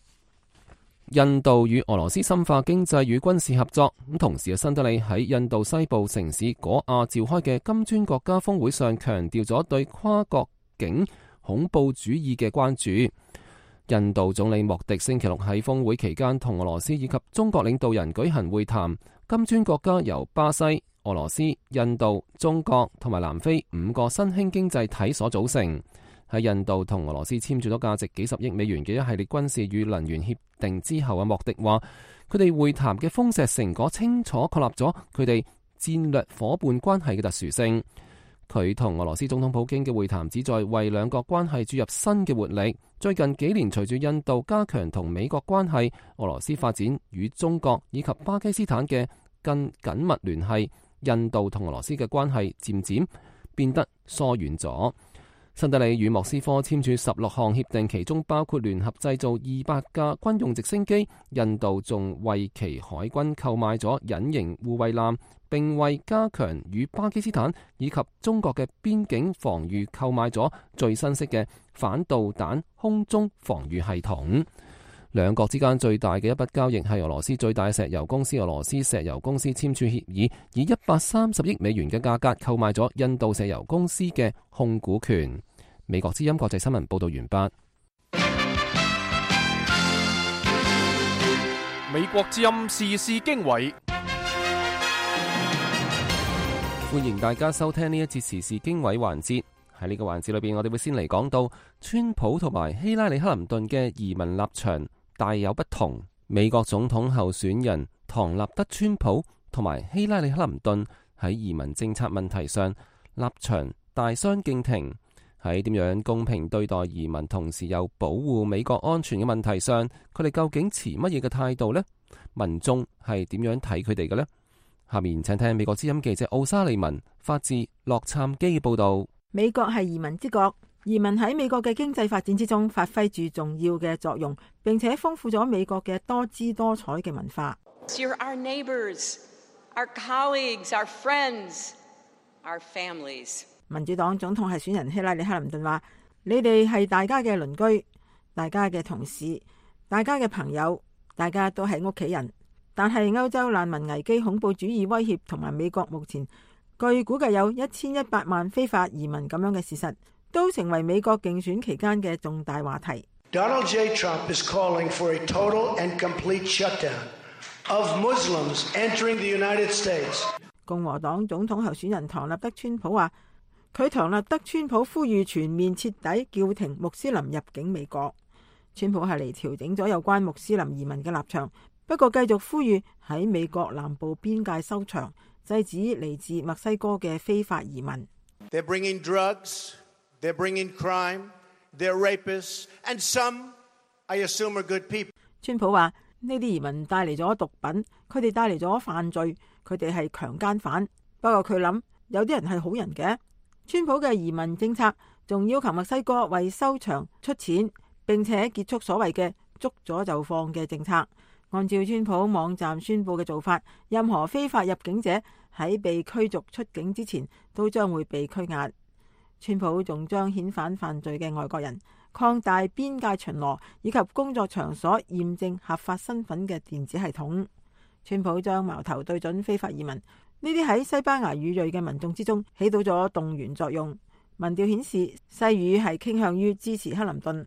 [SPEAKER 2] 印度與俄羅斯深化經濟與軍事合作，咁同時新德里喺印度西部城市果亞召開嘅金磚國家峰會上強調咗對跨國境恐怖主義嘅關注。印度總理莫迪星期六喺峰會期間同俄羅斯以及中國領導人舉行會談。金磚國家由巴西、俄羅斯、印度、中國同埋南非五個新興經濟體所組成。喺印度同俄羅斯簽署咗價值幾十億美元嘅一系列軍事與能源協定之後，阿莫迪話佢哋會談嘅豐碩成果清楚確立咗佢哋戰略夥伴關係嘅特殊性。佢同俄羅斯總統普京嘅會談旨在為兩國關係注入新嘅活力。最近幾年，隨住印度加強同美國關係，俄羅斯發展與中國以及巴基斯坦嘅更緊密聯繫，印度同俄羅斯嘅關係漸漸變得疏遠咗。新德里與莫斯科簽署十六項協定，其中包括聯合製造二百架軍用直升機。印度仲為其海軍購買咗隱形護衛艦，並為加強與巴基斯坦以及中國嘅邊境防禦購買咗最新式嘅反導彈空中防禦系統。兩國之間最大嘅一筆交易係俄羅斯最大石油公司俄羅斯石油公司簽署協議，以一百三十億美元嘅價格購買咗印度石油公司嘅控股權。美國之音國際新聞報道完畢。
[SPEAKER 1] 美國之音時事經緯，
[SPEAKER 2] 歡迎大家收聽呢一節時事經緯環節。喺呢個環節裏邊，我哋會先嚟講到川普同埋希拉里克林頓嘅移民立場大有不同。美國總統候選人唐納德川普同埋希拉里克林頓喺移民政策問題上立場大相徑庭。喺點樣公平對待移民，同時又保護美國安全嘅問題上，佢哋究竟持乜嘢嘅態度呢？民眾係點樣睇佢哋嘅呢？下面請聽美國之音記者奧沙利文發自洛杉磯嘅報道。
[SPEAKER 11] 美國係移民之國，移民喺美國嘅經濟發展之中發揮住重要嘅作用，並且豐富咗美國嘅多姿多彩嘅文化。
[SPEAKER 12] You're our neighbors, our colleagues, our friends, our families.
[SPEAKER 11] 民主黨總統候選人希拉里克林頓話：你哋係大家嘅鄰居，大家嘅同事，大家嘅朋友，大家都係屋企人。但係歐洲難民危機、恐怖主義威脅同埋美國目前據估計有一千一百萬非法移民咁樣嘅事實，都成為美國競選期間嘅重大話題。
[SPEAKER 13] Donald J. Trump is calling for a total and complete shutdown of Muslims entering the United States.
[SPEAKER 11] 共和黨總統候選人唐納德川普話：佢唐納德川普呼籲全面徹底叫停穆斯林入境美國。川普係嚟調整咗有關穆斯林移民嘅立場，不過繼續呼籲喺美國南部邊界收場，制止嚟自墨西哥嘅非法移民。
[SPEAKER 13] They're bringing drugs, they're bringing crime, they're rapists, and some, I assume, are good people.
[SPEAKER 11] 川普話呢啲移民帶嚟咗毒品，佢哋帶嚟咗犯罪，佢哋係強姦犯。不過佢諗有啲人係好人嘅。川普嘅移民政策仲要求墨西哥為收場出錢，並且結束所謂嘅捉咗就放嘅政策。按照川普網站宣布嘅做法，任何非法入境者喺被驅逐出境之前都將會被拘押。川普仲將遣返犯罪嘅外國人，擴大邊界巡邏以及工作場所驗證合法身份嘅電子系統。川普將矛頭對準非法移民，呢啲喺西班牙語裔嘅民眾之中起到咗動員作用。民調顯示西語係傾向於支持克林頓。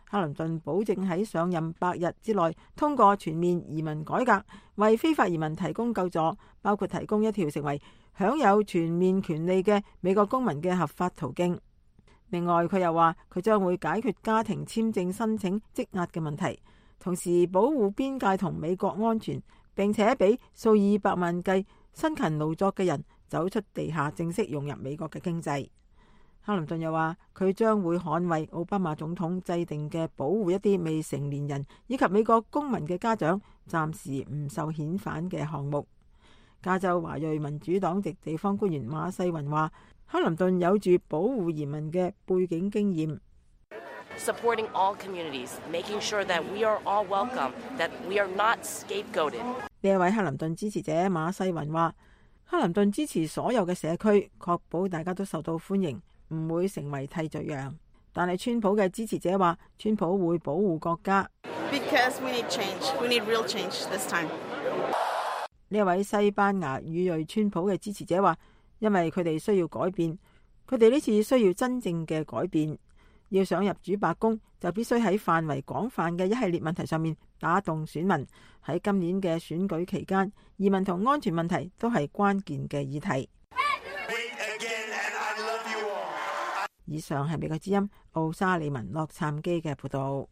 [SPEAKER 11] 克林頓保證喺上任百日之內通過全面移民改革，為非法移民提供救助，包括提供一條成為享有全面權利嘅美國公民嘅合法途徑。另外，佢又話佢將會解決家庭簽證申請積壓嘅問題，同時保護邊界同美國安全，並且俾數以百萬計辛勤勞作嘅人走出地下，正式融入美國嘅經濟。克林頓又話佢將會捍衛奧巴馬總統制定嘅保護一啲未成年人以及美國公民嘅家長暫時唔受遣返嘅項目。加州華裔民主黨籍地方官員馬世雲話，克林頓有住保護移民嘅背景經驗。
[SPEAKER 14] Supporting all communities, making sure that we are all welcome, that we are not scapegoated.
[SPEAKER 11] 呢一位克林頓支持者馬世雲話，克林頓支持所有嘅社區，確保大家都受到歡迎，唔會成為替罪羊。但係川普嘅支持者話，川普會保護國家。
[SPEAKER 15] Because we need change, we need real change this time.
[SPEAKER 11] 呢一位西班牙語裔川普嘅支持者話，因為佢哋需要改變，佢哋呢次需要真正嘅改變。要想入主白宮，就必須喺範圍廣泛嘅一系列問題上面打動選民。喺今年嘅選舉期間，移民同安全問題都係關鍵嘅議題。以上係美國之音奧沙利文洛杉磯嘅報道。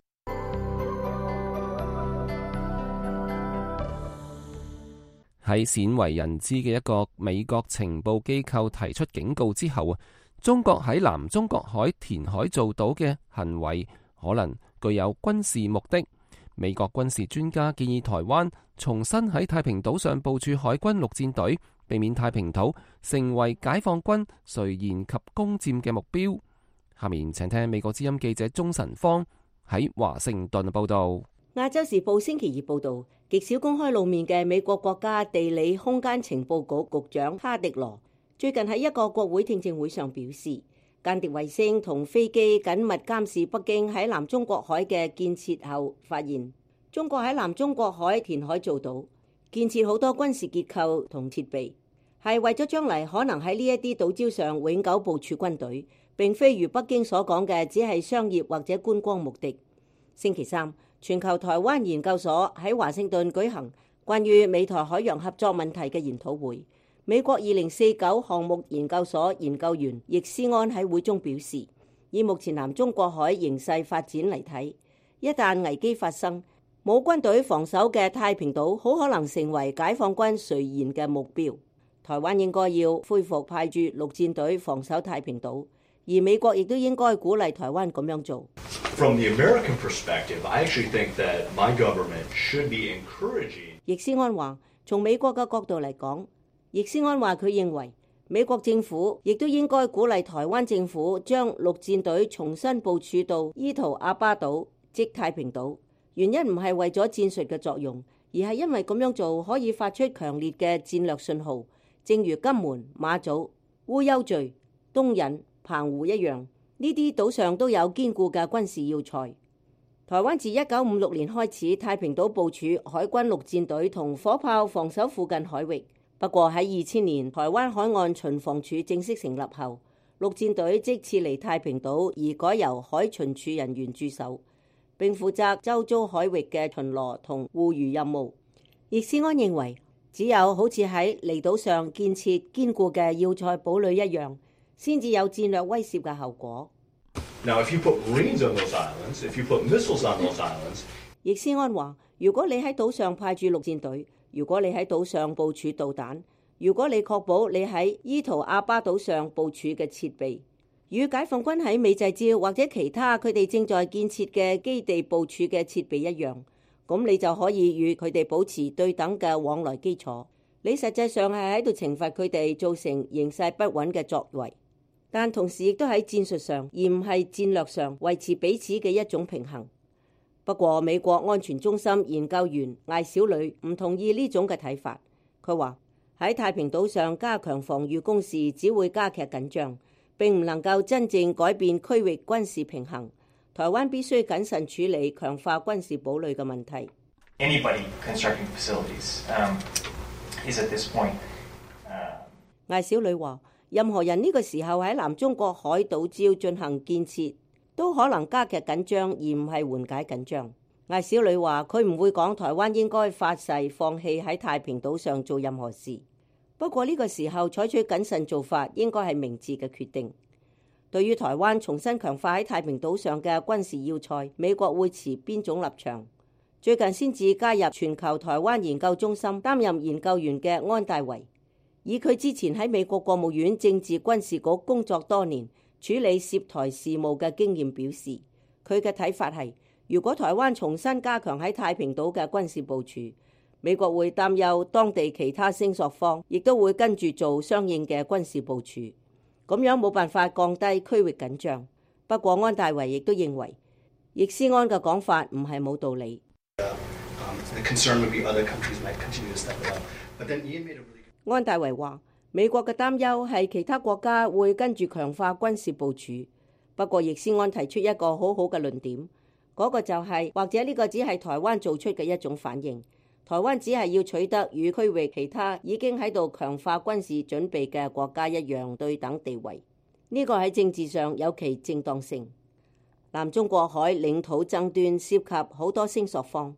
[SPEAKER 2] 喺鮮為人知嘅一個美國情報機構提出警告之後啊，中國喺南中國海填海造島嘅行為可能具有軍事目的。美國軍事專家建議台灣重新喺太平島上部署海軍陸戰隊，避免太平島成為解放軍垂涎及攻佔嘅目標。下面請聽美國之音記者鍾晨芳喺華盛頓報道。
[SPEAKER 5] 亞洲時報星期二報道，極少公開露面嘅美國國家地理空間情報局局長哈迪羅最近喺一個國會聽證會上表示，間諜衛星同飛機緊密監視北京喺南中國海嘅建設後，發現中國喺南中國海填海造島，建設好多軍事結構同設備，係為咗將來可能喺呢一啲島礁上永久部署軍隊，並非如北京所講嘅只係商業或者觀光目的。星期三，全球台灣研究所喺華盛頓舉行關於美台海洋合作問題嘅研討會。美國二零四九項目研究所研究員易思安喺會中表示，以目前南中國海形勢發展嚟睇，一旦危機發生，冇軍隊防守嘅太平島好可能成為解放軍垂涎嘅目標。台灣應該要恢復派駐陸戰隊防守太平島，而美國亦都應該鼓勵台灣咁樣做。
[SPEAKER 16] From the American perspective, I actually think that my government should be encouraging.
[SPEAKER 5] 易思安話，從美國嘅角度嚟講，易思安話佢認為美國政府亦都應該鼓勵台灣政府將陸戰隊重新部署到伊圖阿巴島，即太平島。原因唔係為咗戰術嘅作用，而係因為咁樣做可以發出強烈嘅戰略信號，正如金門、馬祖、烏丘嶼、東引、澎湖一樣。呢啲島上都有堅固嘅軍事要塞。台灣自一九五六年開始太平島部署海軍陸戰隊同火炮防守附近海域。不過喺二千年台灣海岸巡防處正式成立後，陸戰隊即撤離太平島，而改由海巡署人員駐守，並負責周遭海域嘅巡邏同護漁任務。易思安認為，只有好似喺離島上建設堅固嘅要塞堡壘一樣，先至有戰略威懾嘅後果。
[SPEAKER 16] Now, if you put Marines on those islands, if you put missiles on those islands，
[SPEAKER 5] 易思安話：如果你喺島上派駐陸戰隊，如果你喺島上部署導彈，如果你確保你喺伊圖阿巴島上部署嘅設備，與解放軍喺美濟礁或者其他佢哋正在建設嘅基地部署嘅設備一樣，咁你就可以與佢哋保持對等嘅往來基礎。你實際上係喺度懲罰佢哋造成形勢不穩嘅作為。但同時亦都喺戰術上，而唔係戰略上維持彼此嘅一種平衡。不過，美國安全中心研究員艾小呂唔同意呢種嘅睇法。佢話喺太平島上加強防禦工事，只會加劇緊張，並唔能夠真正改變區域軍事平衡。台灣必須謹慎處理強化軍事堡壘嘅問題。
[SPEAKER 17] Anybody constructing facilities, um, is at this point, uh...
[SPEAKER 5] 艾小呂話。任何人呢個時候喺南中國海島礁進行建設，都可能加劇緊張，而唔係緩解緊張。艾小呂話：佢唔會講台灣應該發誓放棄喺太平島上做任何事。不過呢個時候採取謹慎做法，應該係明智嘅決定。對於台灣重新強化喺太平島上嘅軍事要塞，美國會持邊種立場？最近先至加入全球台灣研究中心擔任研究員嘅安大維，以佢之前喺美國國務院政治軍事局工作多年，處理涉台事務嘅經驗表示，佢嘅睇法係，如果台灣重新加強喺太平島嘅軍事部署，美國會擔憂當地其他聲索方亦都會跟住做相應嘅軍事部署，咁樣冇辦法降低區域緊張。不過安大維亦都認為，易思安嘅講法唔係冇道理。安大維話：美國嘅擔憂係其他國家會跟住強化軍事部署。不過，易思安提出一個好好嘅論點，嗰個就係，或者呢個只係台灣做出嘅一種反應。台灣只係要取得與區域其他已經喺度強化軍事準備嘅國家一樣對等地位。呢個喺政治上有其正當性。南中國海領土爭端涉及好多聲索方，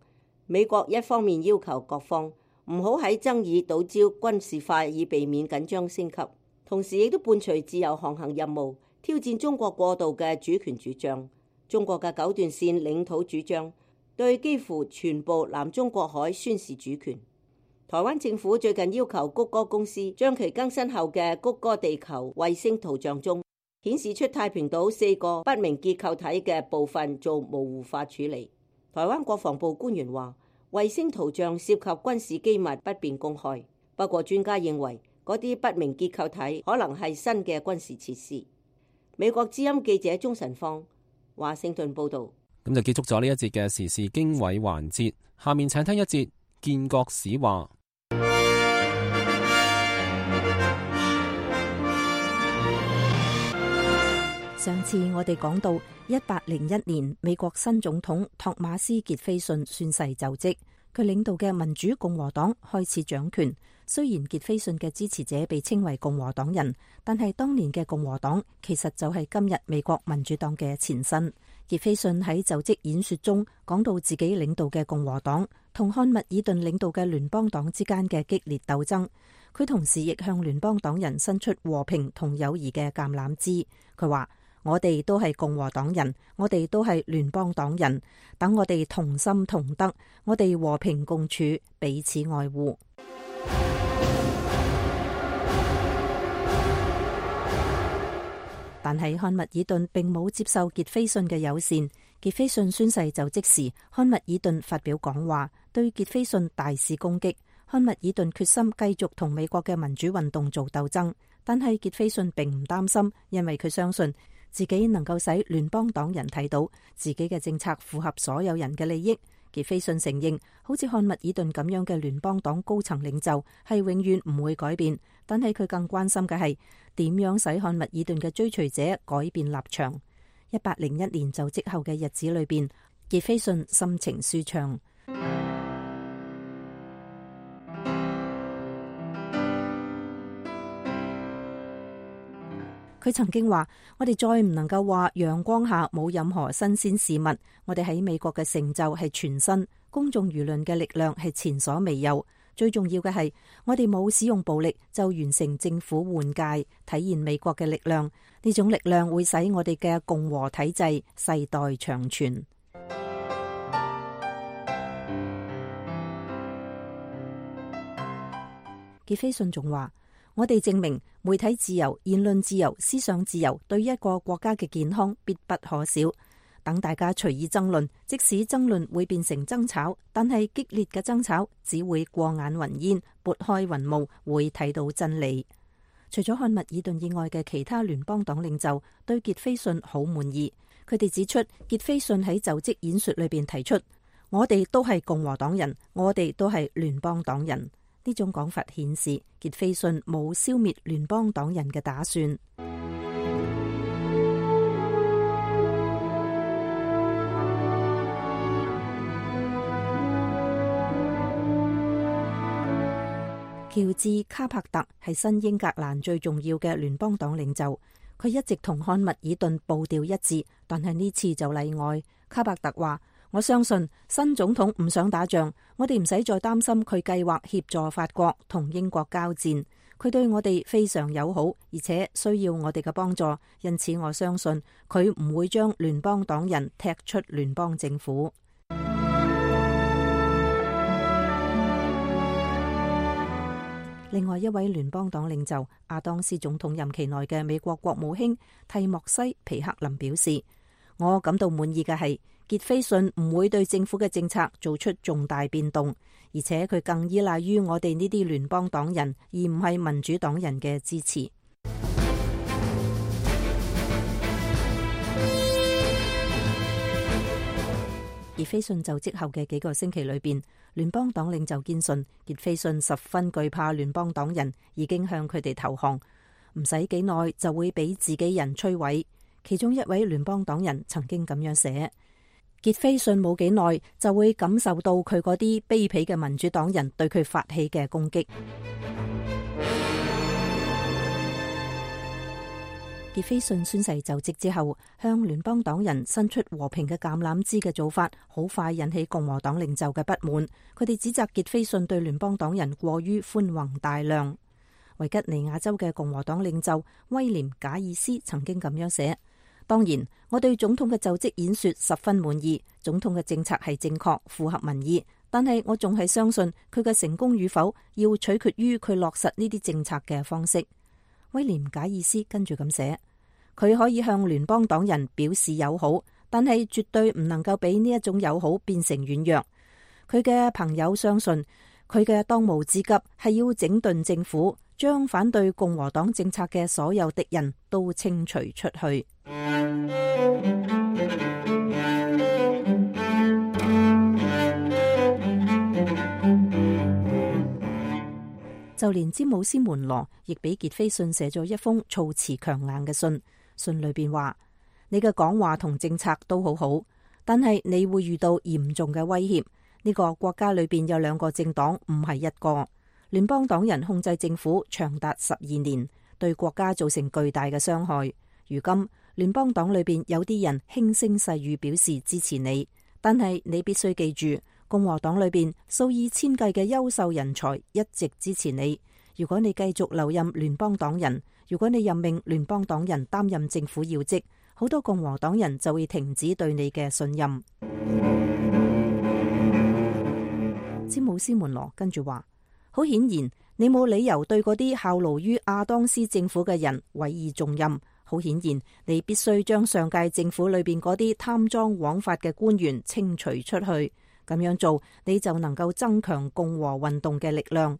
[SPEAKER 5] 美國一方面要求各方唔好喺爭議島礁軍事化，以避免緊張升級，同時亦都伴隨自由航行任務，挑戰中國過度嘅主權主張，中國嘅九段線領土主張，對幾乎全部南中國海宣示主權。台灣政府最近要求谷歌公司將其更新後嘅谷歌地球衛星圖像中顯示出太平島四個不明結構體嘅部分做模糊化處理。台灣國防部官員話，衛星圖像涉及軍事機密，不便公開。不過專家認為，嗰啲不明結構體可能係新嘅軍事設施。美國之音記者鍾晨芳，華盛頓報道。
[SPEAKER 2] 咁就結束咗呢一節嘅時事經緯環節，下面請聽一節建國史話。
[SPEAKER 4] 上次我哋講到一八零一年，美國新總統托馬斯傑斐遜宣誓就職，佢領導嘅民主共和黨開始掌權。雖然傑斐遜嘅支持者被稱為共和黨人，但係當年嘅共和黨其實就係今日美國民主黨嘅前身。傑斐遜喺就職演說中講到自己領導嘅共和黨同漢密爾頓領導嘅聯邦黨之間嘅激烈鬥爭，佢同時亦向聯邦黨人伸出和平同友誼嘅橄欖枝。佢話：我哋都係共和黨人，我哋都係聯邦黨人，等我哋同心同德，我哋和平共處，彼此愛護。但係漢密爾頓並冇接受傑斐遜嘅友善。傑斐遜宣誓就職時，漢密爾頓發表講話，對傑斐遜大肆攻擊。漢密爾頓決心繼續同美國嘅民主運動做鬥爭，但係傑斐遜並唔擔心，因為佢相信自己能夠使聯邦黨人睇到自己嘅政策符合所有人嘅利益。傑斐遜承認，好似漢密爾頓咁樣嘅聯邦黨高層領袖係永遠唔會改變，但係佢更關心嘅係點樣使漢密爾頓嘅追隨者改變立場。一八零一年就職後嘅日子裏邊，傑斐遜心情舒暢。佢曾經話：我哋再唔能夠話陽光下冇任何新鮮事物。我哋喺美國嘅成就係全新，公眾輿論嘅力量係前所未有。最重要嘅係，我哋冇使用暴力就完成政府換屆，體現美國嘅力量。呢種力量會使我哋嘅共和體制世代長存。傑斐遜仲話：我哋證明媒體自由、言論自由、思想自由對一個國家嘅健康必不可少。等大家隨意爭論，即使爭論會變成爭吵，但係激烈嘅爭吵只會過眼雲煙，撥開雲霧，會睇到真理。除咗漢密爾頓以外嘅其他聯邦黨領袖對傑斐遜好滿意，佢哋指出傑斐遜喺就職演說裏邊提出：我哋都係共和黨人，我哋都係聯邦黨人。呢種講法顯示傑斐遜冇消滅聯邦黨人嘅打算。喬治卡柏特係新英格蘭最重要嘅聯邦黨領袖，佢一直同漢密爾頓步調一致，但係呢次就例外。卡柏特話：我相信新總統唔想打仗，我哋唔使再擔心佢計劃協助法國同英國交戰。佢對我哋非常友好，而且需要我哋嘅幫助，因此我相信佢唔會將聯邦黨人踢出聯邦政府。另外一位聯邦黨領袖亞當斯總統任期內嘅美國國務卿蒂莫西皮克林表示：我感到滿意嘅係傑斐遜唔會對政府嘅政策做出重大變動，而且佢更依賴於我哋呢啲聯邦黨人，而唔係民主黨人嘅支持。傑斐遜就職後嘅幾個星期裏邊，聯邦黨領袖堅信傑斐遜十分懼怕聯邦黨人，已經向佢哋投降，唔使幾耐就會俾自己人摧毀。其中一位聯邦黨人曾經咁樣寫：傑斐遜冇幾耐就會感受到佢嗰啲卑鄙嘅民主黨人對佢發起嘅攻擊。傑斐遜宣誓就職之後，向聯邦黨人伸出和平嘅橄欖枝嘅做法，好快引起共和黨領袖嘅不滿。佢哋指責傑斐遜對聯邦黨人過於寬宏大量。維吉尼亞州嘅共和黨領袖威廉賈爾斯曾經咁樣寫：當然，我對總統嘅就職演說十分滿意，總統嘅政策係正確，符合民意。但係我仲係相信佢嘅成功與否要取決於佢落實呢啲政策嘅方式。威廉賈爾斯跟住咁寫：佢可以向聯邦黨人表示友好，但係絕對唔能夠俾呢一種友好變成軟弱。佢嘅朋友相信佢嘅當務之急係要整頓政府，將反對共和黨政策嘅所有敵人都清除出去。就連詹姆斯門羅亦俾傑斐遜寫咗一封措辭強硬嘅信，信裏邊話：你嘅講話同政策都好好，但係你會遇到嚴重嘅威脅。呢個國家裏邊有兩個政黨，唔係一個。聯邦黨人控制政府長達十二年，對國家造成巨大嘅傷害。如今聯邦黨裏邊有啲人輕聲細語表示支持你，但係你必須記住，共和黨裏邊數以千計嘅優秀人才一直支持你。如果你繼續留任聯邦黨人，如果你任命聯邦黨人擔任政府要職，好多共和黨人就會停止對你嘅信任。詹姆斯門羅跟住話：好顯然，你冇理由對嗰啲效勞於亞當斯政府嘅人委以重任。好顯然，你必須將上屆政府裏邊嗰啲貪贓枉法嘅官員清除出去。咁樣做，你就能夠增強共和運動嘅力量。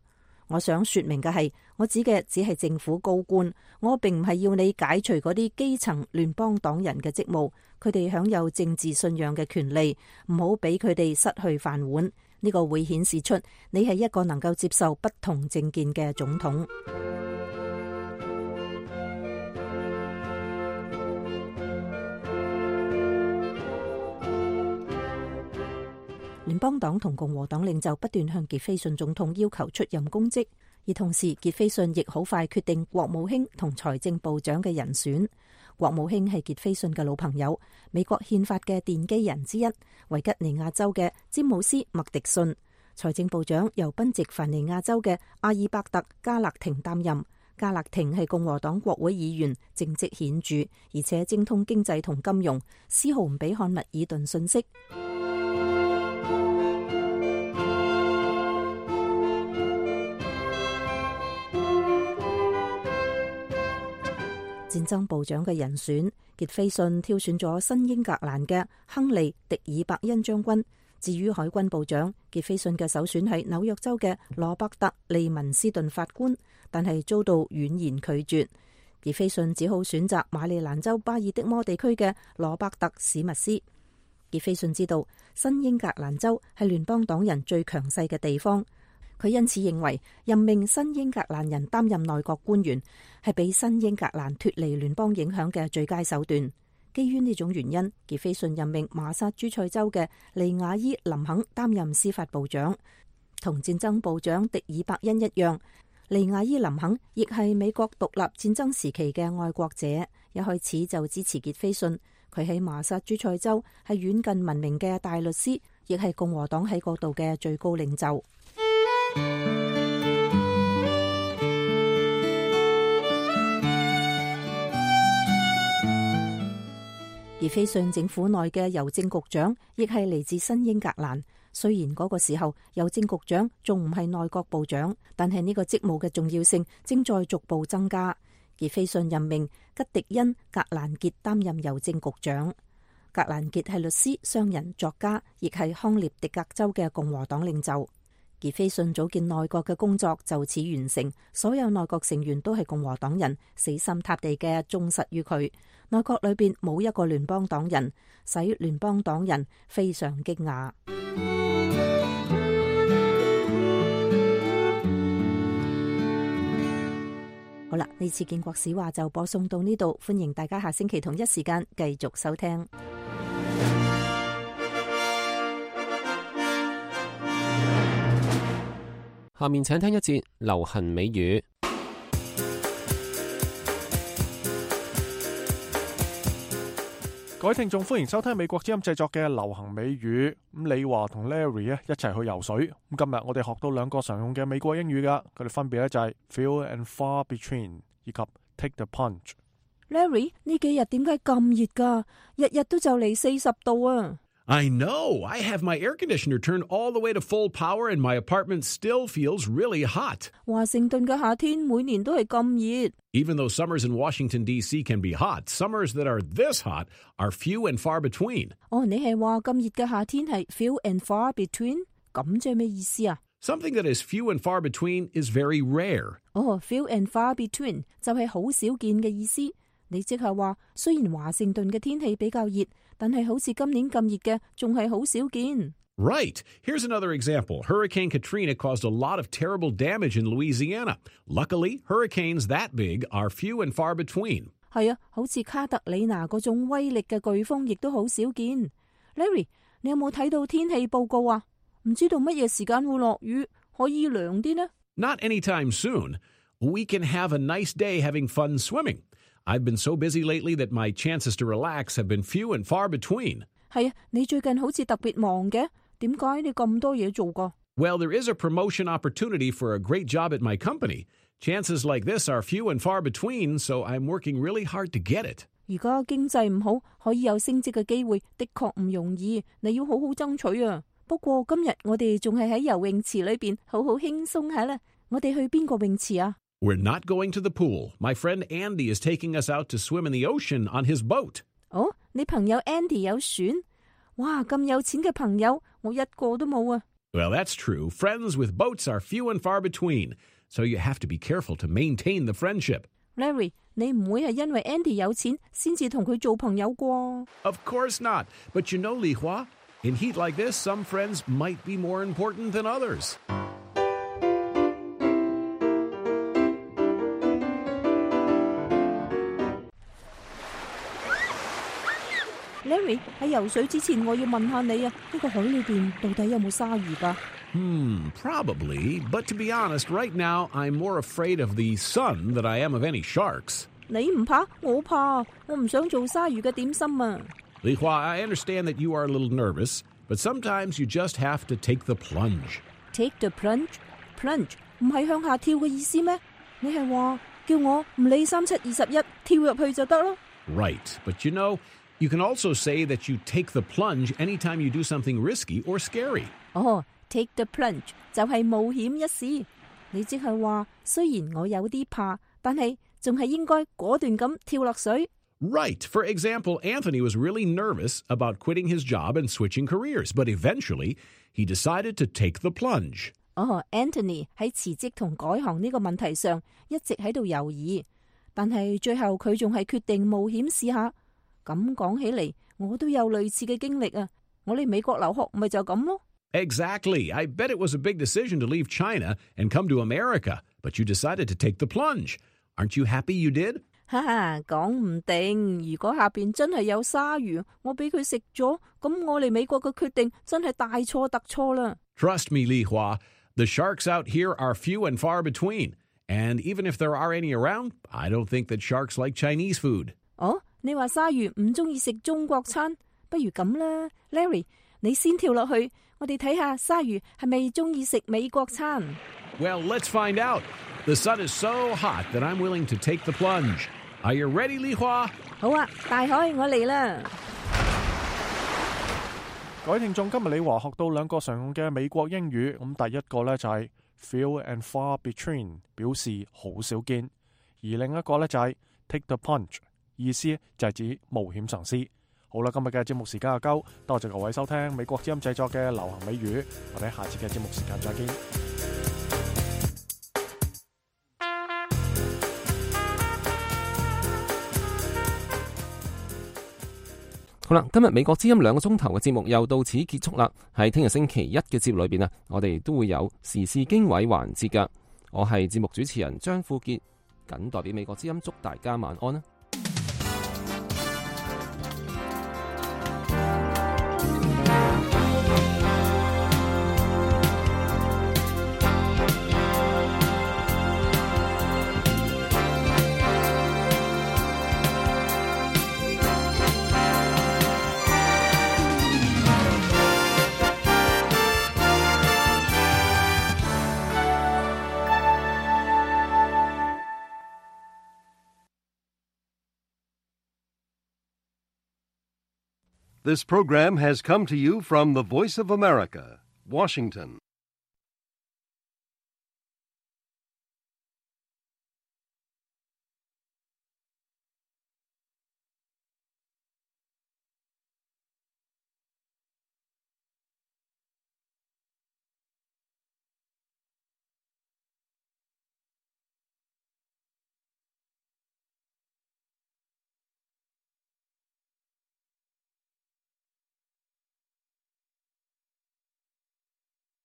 [SPEAKER 4] 我想說明嘅係，我指嘅只係政府高官，我並唔係要你解除嗰啲基層聯邦黨人嘅職務。佢哋享有政治信仰嘅權利，唔好俾佢哋失去飯碗。呢個會顯示出你係一個能夠接受不同政見嘅總統。聯邦黨同共和黨領袖不斷向傑斐遜總統要求出任公職，而同時傑斐遜亦好快決定國務卿同財政部長嘅人選。國務卿係傑斐遜嘅老朋友，美國憲法嘅奠基人之一，維吉尼亞州嘅詹姆斯麥迪遜。財政部長由賓夕凡尼亞州嘅阿爾伯特加勒廷擔任。加勒廷係共和黨國會議員，政績顯著，而且精通經濟同金融，絲毫唔俾漢密爾頓遜色。戰爭部長嘅人選，傑斐遜挑選咗新英格蘭嘅亨利迪爾伯恩將軍。至於海軍部長，傑斐遜嘅首選係紐約州嘅羅伯特利文斯頓法官，但係遭到婉言拒絕。傑斐遜只好選擇馬里蘭州巴爾的摩地區嘅羅伯特史密斯。傑斐遜知道新英格蘭州係聯邦黨人最強勢嘅地方。佢因此認為任命新英格蘭人擔任內閣官員係俾新英格蘭脫離聯邦影響嘅最佳手段。基於呢種原因，傑斐遜任命馬薩諸塞州嘅利亞伊林肯擔任司法部長。同戰爭部長迪爾伯恩一樣，利亞伊林肯亦係美國獨立戰爭時期嘅愛國者，一開始就支持傑斐遜。佢喺馬薩諸塞州係遠近聞名嘅大律師，亦係共和黨喺嗰度嘅最高領袖。傑斐遜政府內嘅郵政局長亦係嚟自新英格蘭。雖然嗰個時候郵政局長仲唔係內閣部長，但係呢個職務嘅重要性正在逐步增加。傑斐遜任命吉迪恩格蘭傑擔任郵政局長。格蘭傑係律師、商人、作家，亦係康涅狄格州嘅共和黨領袖。傑斐遜組建內閣嘅工作就此完成，所有內閣成員都係共和黨人，死心塌地嘅忠實於佢。內閣裏邊冇一個聯邦黨人，使聯邦黨人非常驚訝。好啦，呢次建國史話就播送到呢度，歡迎大家下星期同一時間繼續收聽。
[SPEAKER 2] 下面請聽一節流行美語。
[SPEAKER 1] 各位聽眾，歡迎收聽美國之音製作嘅流行美語。咁李華同 Larry 啊一齊去游水。咁今日我哋學到兩個常用嘅美國英語噶，佢哋分別咧就係 few and far between 以及 take the plunge。Larry
[SPEAKER 4] 呢幾日點解咁熱噶？日日都就嚟四十度啊！
[SPEAKER 18] I know. I have my air conditioner turned all the way to full power and my apartment still feels really hot.
[SPEAKER 4] 華盛頓嘅夏天每年都係咁熱。
[SPEAKER 18] Even though summers in Washington, D C can be hot, summers that are this hot are few and far between.
[SPEAKER 4] 哦，你係話咁熱嘅夏天係 few and far between？ 咁即係咩意思啊？
[SPEAKER 18] Something that is few and far between is very rare.
[SPEAKER 4] 哦 few and far between 就係好少見嘅意思。你即係話，雖然華盛頓嘅天氣比較熱，但係好似今年咁熱嘅，仲係好少見。
[SPEAKER 18] Right. Here's another example. Hurricane Katrina caused a lot of terrible damage in Louisiana. Luckily, hurricanes that big are few and far between.
[SPEAKER 4] 係啊，好似卡特里娜嗰種威力嘅颶風，亦都好少見。Larry，你有冇睇到天氣報告啊？唔知道乜嘢時間會落雨，可以涼啲呢？
[SPEAKER 18] Not anytime soon. We can have a nice day having fun swimming. I've been so busy lately that my chances to relax have been few and far between.
[SPEAKER 4] 係啊，你最近好似特別忙嘅，點解你咁多嘢做㗎？
[SPEAKER 18] Well, there is a promotion opportunity for a great job at my company. Chances like this are few and far between, so I'm working really hard to get it.
[SPEAKER 4] 而家經濟唔好，可以有升職嘅機會，的確唔容易，你要好好爭取啊。不過今日我哋仲係喺游泳池裏邊，好好輕鬆下啦。我哋去邊個泳池啊？
[SPEAKER 18] We're not going to the pool. My friend Andy is taking us out to swim in the ocean on his boat.
[SPEAKER 4] 哦，你朋友 Andy 有船？哇，咁有錢嘅朋友，我一個都冇啊。
[SPEAKER 18] Well, that's true. Friends with boats are few and far between, so you have to be careful to maintain the friendship.
[SPEAKER 4] Larry, 你唔會係因為 Andy 有錢先至同佢做朋友啩？
[SPEAKER 18] Of course not. But you know, Li Hua, in heat like this, some friends might be more important than others.
[SPEAKER 4] Larry， 喺游水之前，我要問下你啊，呢個海裏邊到底有冇鯊魚㗎？
[SPEAKER 18] Hmm, probably. But to be honest, right now, I'm more afraid of the sun than I am of any sharks.
[SPEAKER 4] 你唔怕，我怕，我唔想做鯊魚嘅點心啊。
[SPEAKER 18] Li Hua, I understand that you are a little nervous, but sometimes you just have to take the plunge.
[SPEAKER 4] Take the plunge? Plunge 唔係向下跳嘅意思咩？你係話叫我唔理三七二十一，跳入去就得咯？
[SPEAKER 18] Right, but you know, you can also say that you take the plunge anytime you do something risky or scary.
[SPEAKER 4] 哦 take the plunge 就係冒險一試。你即係話，雖然我有啲怕，但係仲係應該果斷咁跳落水。
[SPEAKER 18] Right. For example, Anthony was really nervous about quitting his job and switching careers, but eventually he decided to take the plunge.
[SPEAKER 4] 哦 Anthony 喺辭職同改行呢個問題上一直喺度猶豫，但係最後佢仲係決定冒險試下。咁講起嚟，我都有類似嘅經歷啊！我嚟美國留學咪就咁咯。
[SPEAKER 18] Exactly. I bet it was a big decision to leave China and come to America, but you decided to take the plunge. Aren't you happy you did?
[SPEAKER 4] 哈哈，講唔定，如果下邊真係有鯊魚，我俾佢食咗，咁我嚟美國嘅決定真係大錯特錯啦。
[SPEAKER 18] Trust me, Li Hua, the sharks out here are few and far between. And even if there are any around, I don't think that sharks like Chinese food.
[SPEAKER 4] 哦，你話鯊魚唔中意食中國餐，不如咁啦 ，Larry， 你先跳落去，我哋睇下鯊魚係咪中意食美國餐。
[SPEAKER 18] Well, let's find out. The sun is so hot that I'm willing to take the plunge. Are you ready, Li Hua?
[SPEAKER 4] 好啊，大海，我嚟啦！
[SPEAKER 1] 各位聽眾，今日李華學到兩個常用嘅美國英語，咁第一個呢就係 few and far between， 表示好少見；而另一個呢就係 take the plunge， 意思就係指冒險嘗試。好啦，今日嘅節目時間就夠，多謝各位收聽美國之音製作嘅流行美語，我哋下次嘅節目時間再見。
[SPEAKER 2] 好啦，今日美國之音兩個鐘頭嘅節目又到此結束啦。喺聽日星期一嘅節目裏邊啊，我哋都會有時事經緯環節噶。我係節目主持人張富傑，謹代表美國之音祝大家晚安啦。
[SPEAKER 19] This program has come to you from the Voice of America, Washington.